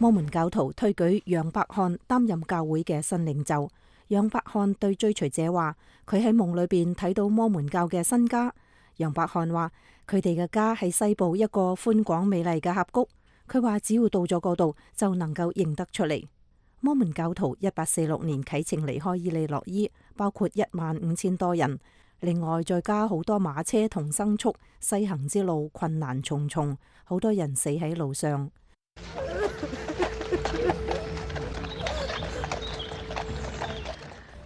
摩門教徒推舉楊伯翰擔任教會嘅新領袖。楊伯翰對追隨者話，佢喺夢裏邊睇到摩門教嘅新家。楊伯翰話，佢哋嘅家喺西部一個寬廣美麗嘅峽谷。佢話只要到咗嗰度就能夠認得出嚟。摩門教徒1846年啟程離開伊利諾伊，包括15000多人，另外再加好多馬車同牲畜，西行之路困難重重，好多人死喺路上。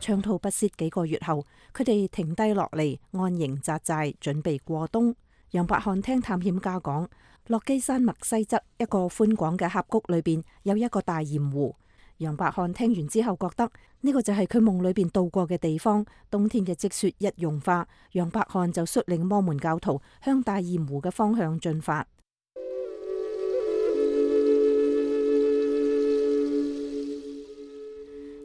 長途跋涉幾個月後，佢哋停低落嚟安營紮寨，準備過冬。楊伯翰聽探險家講，落基山脈西側一個寬廣嘅峽谷裏邊有一個大鹽湖。楊伯翰聽完之後覺得呢個就係佢夢裏邊度過嘅地方。冬天嘅積雪一融化，楊伯翰就率領摩門教徒向大鹽湖嘅方向進發。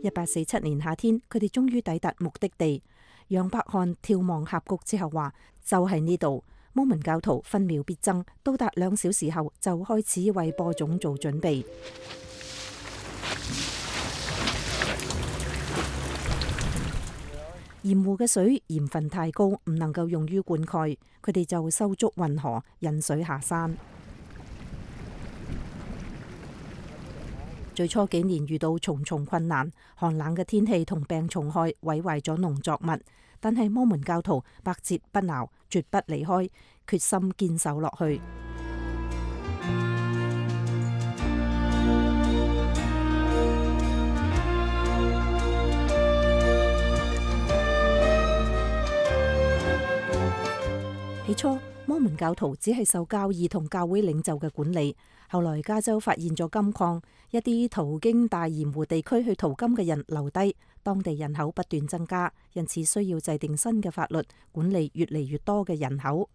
1847年夏天，佢哋終於抵達目的地。楊伯翰眺望峽谷之後話，就係呢度。摩門教徒分秒必爭，到達2小時後就開始為播種做準備。鹽湖嘅水鹽分太高，唔能夠用於灌溉，佢哋就修築運河，引水下山。最初幾年遇到重重困難，寒冷嘅天氣同病蟲害毀壞咗農作物，但係摩門教徒百折不撓，絕不離開，決心堅守落去。起初，摩門教徒只係受教義同教會領袖嘅管理。後來加州發現咗金礦，一啲途經大鹽湖地區去淘金嘅人留低，當地人口不斷增加，因此需要制定新嘅法律管理越嚟越多嘅人口。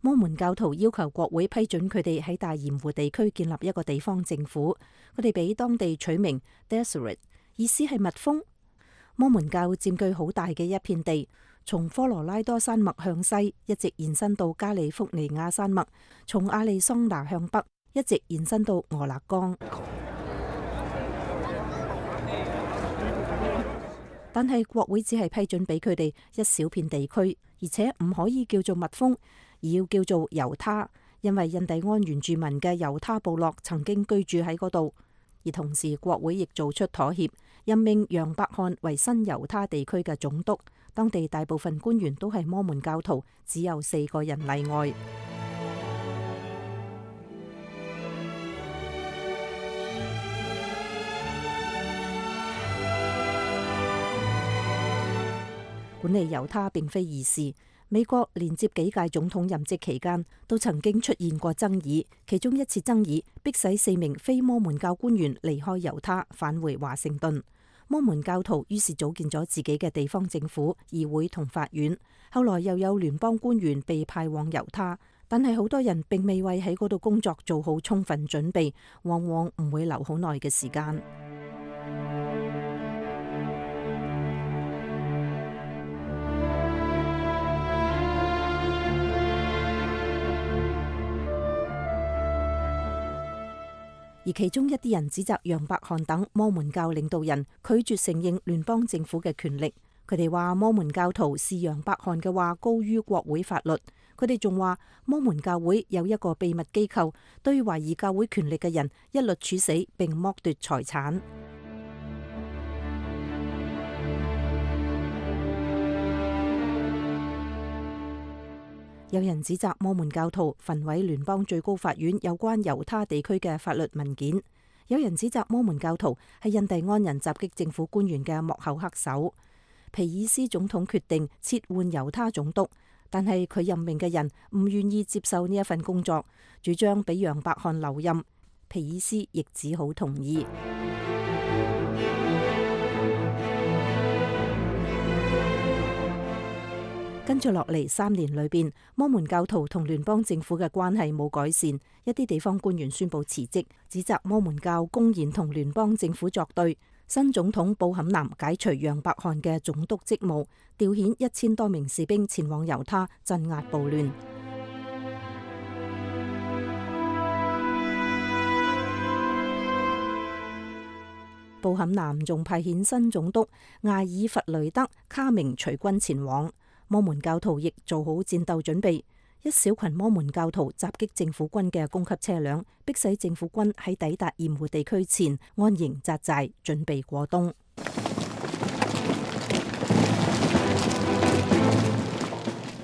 摩門教徒要求國會批准佢哋喺大鹽湖地區建立一個地方政府，佢哋俾當地取名 Deseret， 意思係蜜蜂。摩門教佔據好大嘅一片地，從科羅拉多山脈向西一直延伸到加利福尼亞山脈，從亞利桑那向北一直延伸到俄勒岡。但係國會只係批准俾佢哋一小片地區，而且唔可以叫做蜜蜂，而要叫做猶他，因為印第安原住民嘅猶他部落曾經居住喺嗰度。而同時國會亦做出妥協，任命楊伯翰為新猶他地區嘅總督。當地大部分官員都係摩門教徒，只有4個人例外。管理猶他並非易事，美國連接幾屆總統任職期間都曾經出現過爭議，其中一次爭議迫使4名非摩門教官員離開猶他，返回華盛頓。摩門教徒於是組建咗自己嘅地方政府、議會同法院。後來又有聯邦官員被派往猶他，但係好多人並未為喺嗰度工作做好充分準備，往往唔會留好耐嘅時間。而其中一啲人指責楊伯翰等摩門教領導人拒絕承認聯邦政府嘅權力。佢哋話摩門教徒視楊伯翰嘅話高於國會法律。佢哋仲話摩門教會有一個秘密機構，對懷疑教會權力嘅人一律處死並剝奪財產。有人指責摩門教徒焚毀聯邦最高法院有關猶他地區嘅法律文件。有人指責摩門教徒係印第安人襲擊政府官員嘅幕後黑手。皮爾斯總統決定撤換猶他總督，但係佢任命嘅人唔願意接受呢一份工作，主張俾楊伯翰留任。皮爾斯亦只好同意。跟住落嚟3年裏邊，摩門教徒同聯邦政府嘅關係冇改善，一啲地方官員宣布辭職，指責摩門教公然同聯邦政府作對。新總統布坎南解除楊伯翰嘅總督職務，調遣1000多名士兵前往猶他鎮壓暴亂。布坎南仲派遣新總督艾爾弗雷德卡明隨軍前往，摩門教徒亦做好戰鬥準備。一小群摩門教徒襲擊政府軍嘅供給車輛，迫使政府軍喺抵達鹽湖地區前安營紮寨，準備過冬。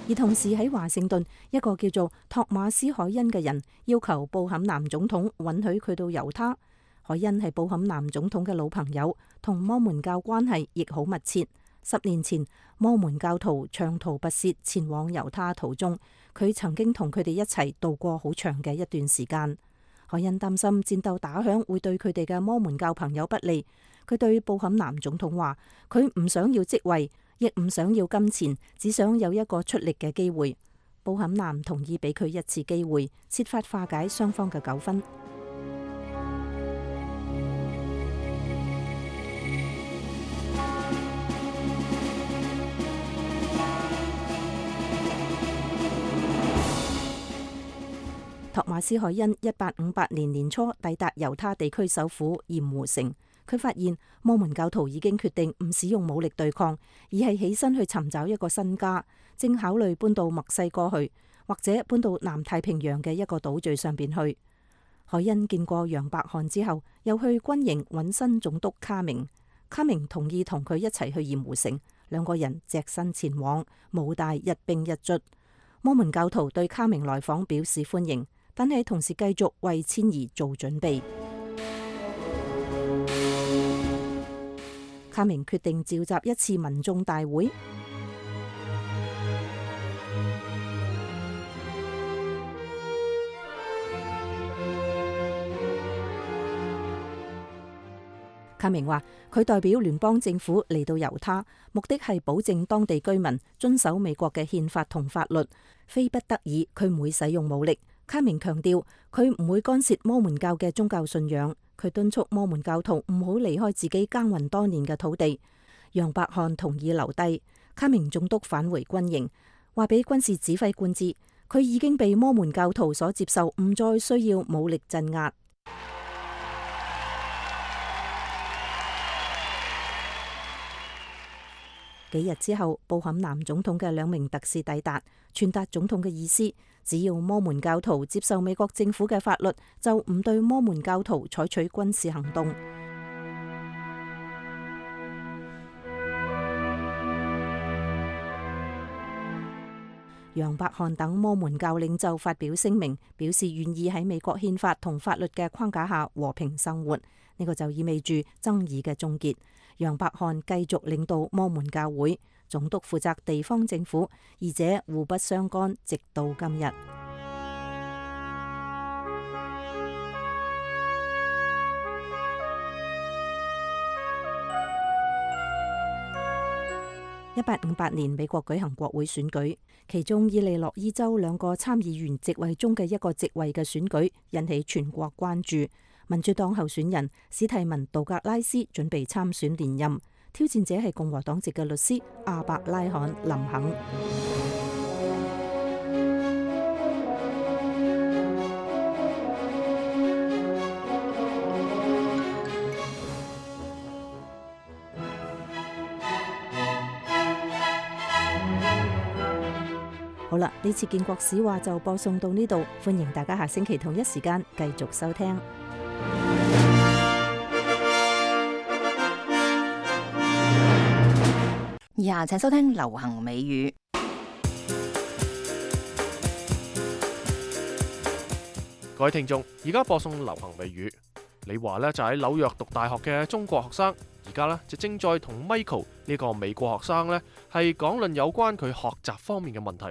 而同時喺華盛頓，一個叫做托馬斯·海恩嘅人要求布坎南總統允許佢到猶他。海恩係布坎南總統嘅老朋友，同摩門教關係亦好密切。10年前，摩門教徒長途跋涉前往猶他途中，佢曾經同佢哋一齊度過好長嘅一段時間。海恩擔心戰鬥打響會對佢哋嘅摩門教朋友不利，佢對布坎南總統話：佢唔想要職位，亦唔想要金錢，只想有一個出力嘅機會。布坎南同意俾佢一次機會，設法化解雙方嘅糾紛。托馬斯·海恩1858年年初抵達猶他地區首府鹽湖城，佢發現摩門教徒已經決定唔使用武力對抗，而係起身去尋找一個新家，正考慮搬到墨西哥去，或者搬到南太平洋嘅一個島嶼上邊去。海恩見過楊百翰之後，又去軍營揾新總督卡明，卡明同意同佢一齊去鹽湖城，兩個人隻身前往，武大一兵一卒。摩門教徒對卡明來訪表示歡迎，但係同時繼續為遷移做準備。卡明決定召集一次民眾大會。卡明話：佢代表聯邦政府嚟到猶他，目的係保證當地居民遵守美國嘅憲法同法律，非不得已佢唔會使用武力。卡明強調佢唔會干涉摩門教嘅宗教信仰，佢敦促摩門教徒唔好離開自己耕耘多年嘅土地。楊百翰同意留低，卡明總督返回軍營，話俾軍事指揮官知，佢已經被摩門教徒所接受，唔再需要武力鎮壓。幾日之後，布坎南總統嘅2名特使抵達，傳達總統嘅意思：只要摩門教徒接受美國政府嘅法律，就唔對摩門教徒採取軍事行動。楊百翰等摩門教領袖發表聲明，表示願意喺美國憲法同法律嘅框架下和平生活。呢個就意味住爭議嘅終結。楊百翰繼續領導摩門教會，總督負責地方政府，二者互不相干，直到今日。1858年，美國舉行國會選舉，其中伊利諾伊州2個參議員席位中嘅一個席位嘅選舉引起全國關注。民主黨候選人史蒂文·杜格拉斯準備參選連任，挑戰者係共和黨籍嘅律師阿伯拉罕·林肯。好啦，呢次建國史話就播送到呢度，歡迎大家下星期同一時間繼續收聽。以下請收聽流行美語。各位聽眾，而家播送流行美語。李華呢就喺紐約讀大學嘅中國學生，而家呢就正在同 Michael 呢個美國學生呢係講論有關佢學習方面嘅問題。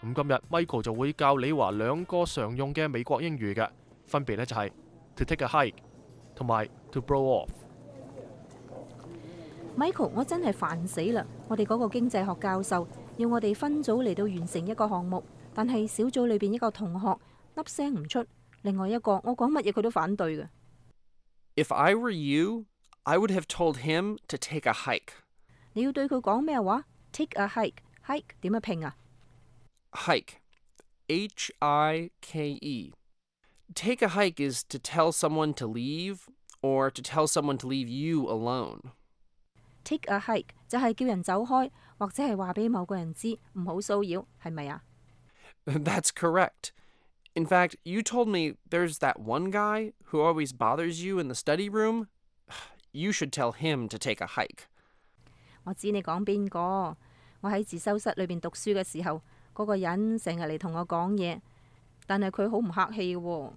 咁今日 Michael 就會教李華2個常用嘅美國英語嘅，分別呢就係 to take a hike 同埋 to blow off。Michael， 我真係煩死啦！我哋嗰個經濟學教授要我哋分組嚟到完成一個項目，但係小組裏邊一個同學粒聲唔出，另外一個我講乜嘢佢都反對嘅。If I were you, I would have told him to take a hike. 你要對佢講咩話 ？Take a hike，hike 點樣拼啊 ？Hike, H-I-K-E. Take a hike is to tell someone to leave or to tell someone to leave you alone. Take a hike 就係叫人走開，或者係話俾某個人知唔好騷擾，係咪啊？ That's correct. In fact, you told me there's that one guy who always bothers you in the study room. You should tell him to take a hike. 我知你講邊個？我喺自修室裏邊讀書嘅時候，嗰個人成日嚟同我講嘢，但係佢好唔客氣喎。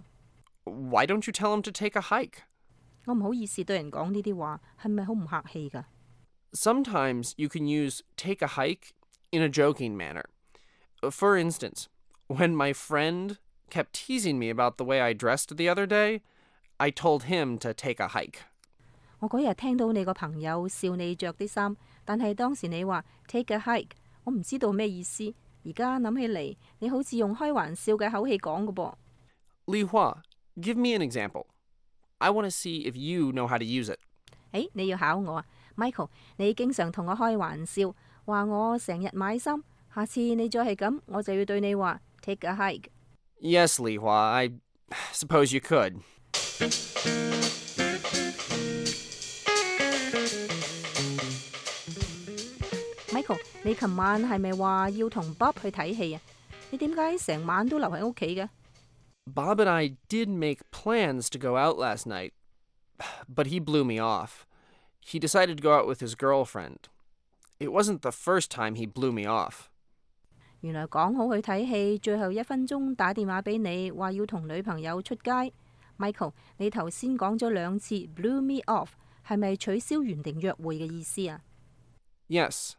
Why don't you tell him to take a hike? 我唔好意思對人講呢啲話，係咪好唔客氣㗎？ Sometimes you can use take a hike in a joking manner. For instance, when my friend kept teasing me about the way I dressed the other day, I told him to take a hike. 我嗰日聽到你個朋友笑你着啲衫，但係當時你話 take a hike， 我唔知道咩意思。而家諗起嚟，你好似用開玩笑嘅口氣講㗎噃。Li Hua, give me an example. I want to see if you know how to use it. 你要考我啊 ，Michael， 你經常同我開玩笑，話我成日買衫。下次你再係咁，我就要對你話 take a hike。 Yes, Li Hua, I suppose you could. Michael， 你琴晚係咪話要同 Bob 去睇戲啊？你點解成晚都留喺屋企嘅？ Bob and I did make plans to go out last night, but he blew me off. He decided to go out with his girlfriend. It wasn't the first time he blew me off. 原來講好去睇戲，最後1分鐘打電話俾你，話要同女朋友出街。Michael， 你頭先講咗2次 blew me off， 係咪取消原定約會嘅意思啊？ Yes.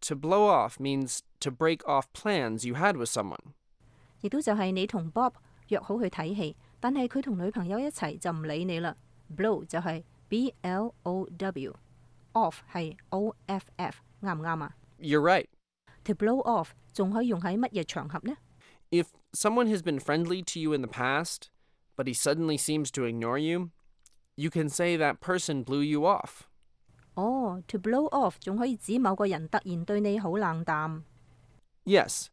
To blow off means to break off plans you had with someone. 亦都就係你同 Bob 約好去睇戲，但係佢同女朋友一齊就唔理你啦。Blow 就係 blow，off 係 off，啱唔啱啊？ You're right. To blow off 仲可以用喺乜嘢場合呢？ If someone has been friendly to you in the past, but he suddenly seems to ignore you, you can say that person blew you off. To blow off 仲可以指某個人突然對你好冷淡。Yes.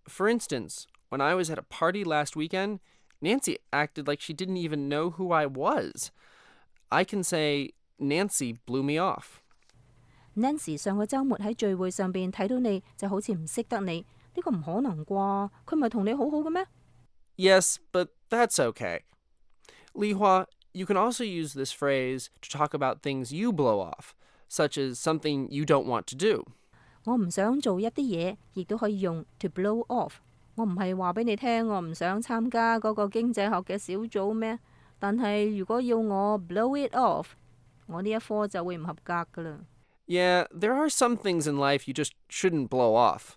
For instance, when I was at a party last weekend, Nancy acted like she didn't even know who I was. I can say, Nancy blew me off. Nancy 上個週末喺聚會上邊睇到你就好似唔識得你，呢個唔可能啩？佢唔係同你好好嘅咩？ Yes, but that's okay. Li Hua, you can also use this phrase to talk about things you blow off, such as something you don't want to do. 我唔想做一啲嘢，亦都可以用 to blow off。我唔係話俾你聽，我唔想參加嗰個經濟學嘅小組咩？但係如果要我 blow it off， 我呢一科就會唔合格噶啦。Yeah, there are some things in life you just shouldn't blow off.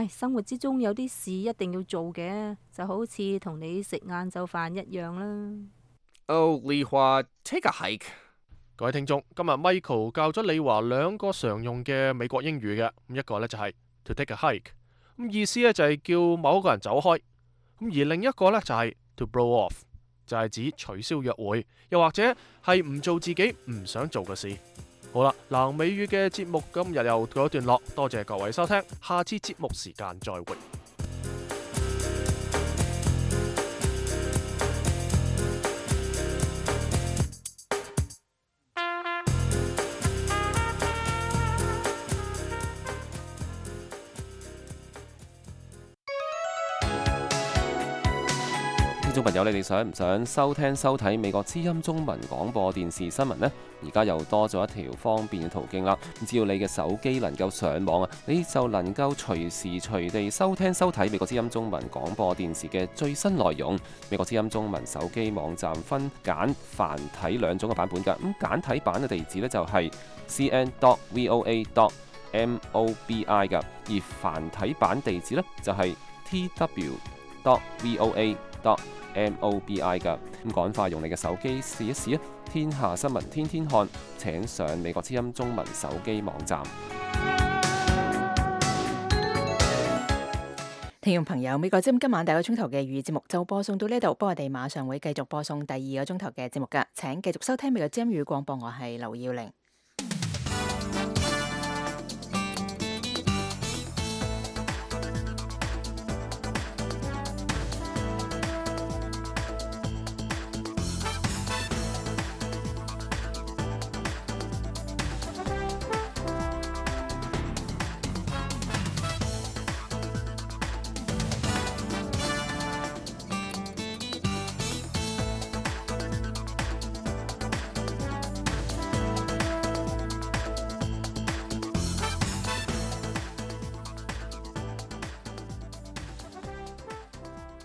生活之中有啲事一定要做嘅，就好似同你食晏晝飯一樣啦。Oh, Li Hua, take a hike. 各位聽眾，今日 Michael 教咗李華2個常用嘅美國英語嘅，一個呢就係 to take a hike， 意思呢就係叫某一個人走開，而另一個呢就係 to blow off， 就係指取消約會，又或者係唔做自己唔想做嘅事。好啦，南美語嘅節目今日又告一段落，多謝各位收聽，下次節目時間再會。聽眾朋友，你哋想唔想收聽收睇美國之音中文廣播電視新聞呢？而家又多咗一條方便嘅途徑啦！只要你嘅手機能夠上網啊，你就能夠隨時隨地收聽收睇美國之音中文廣播電視嘅最新內容。美國之音中文手機網站分簡繁體2種嘅版本㗎。咁簡體版嘅地址呢，就係 cn.voa.mobi 㗎，而繁體版地址呢，就係 tw.voa.mobi 㗎。咁趕快用你嘅手機試一試啊！天下新聞天天看，請上美國之音中文手機網站。聽眾朋友，美國之音今晚第1個鐘頭嘅粵語節目就播送到呢度，不過我哋馬上會繼續播送第2個鐘頭嘅節目㗎。請繼續收聽美國之音語廣播，我係劉耀玲。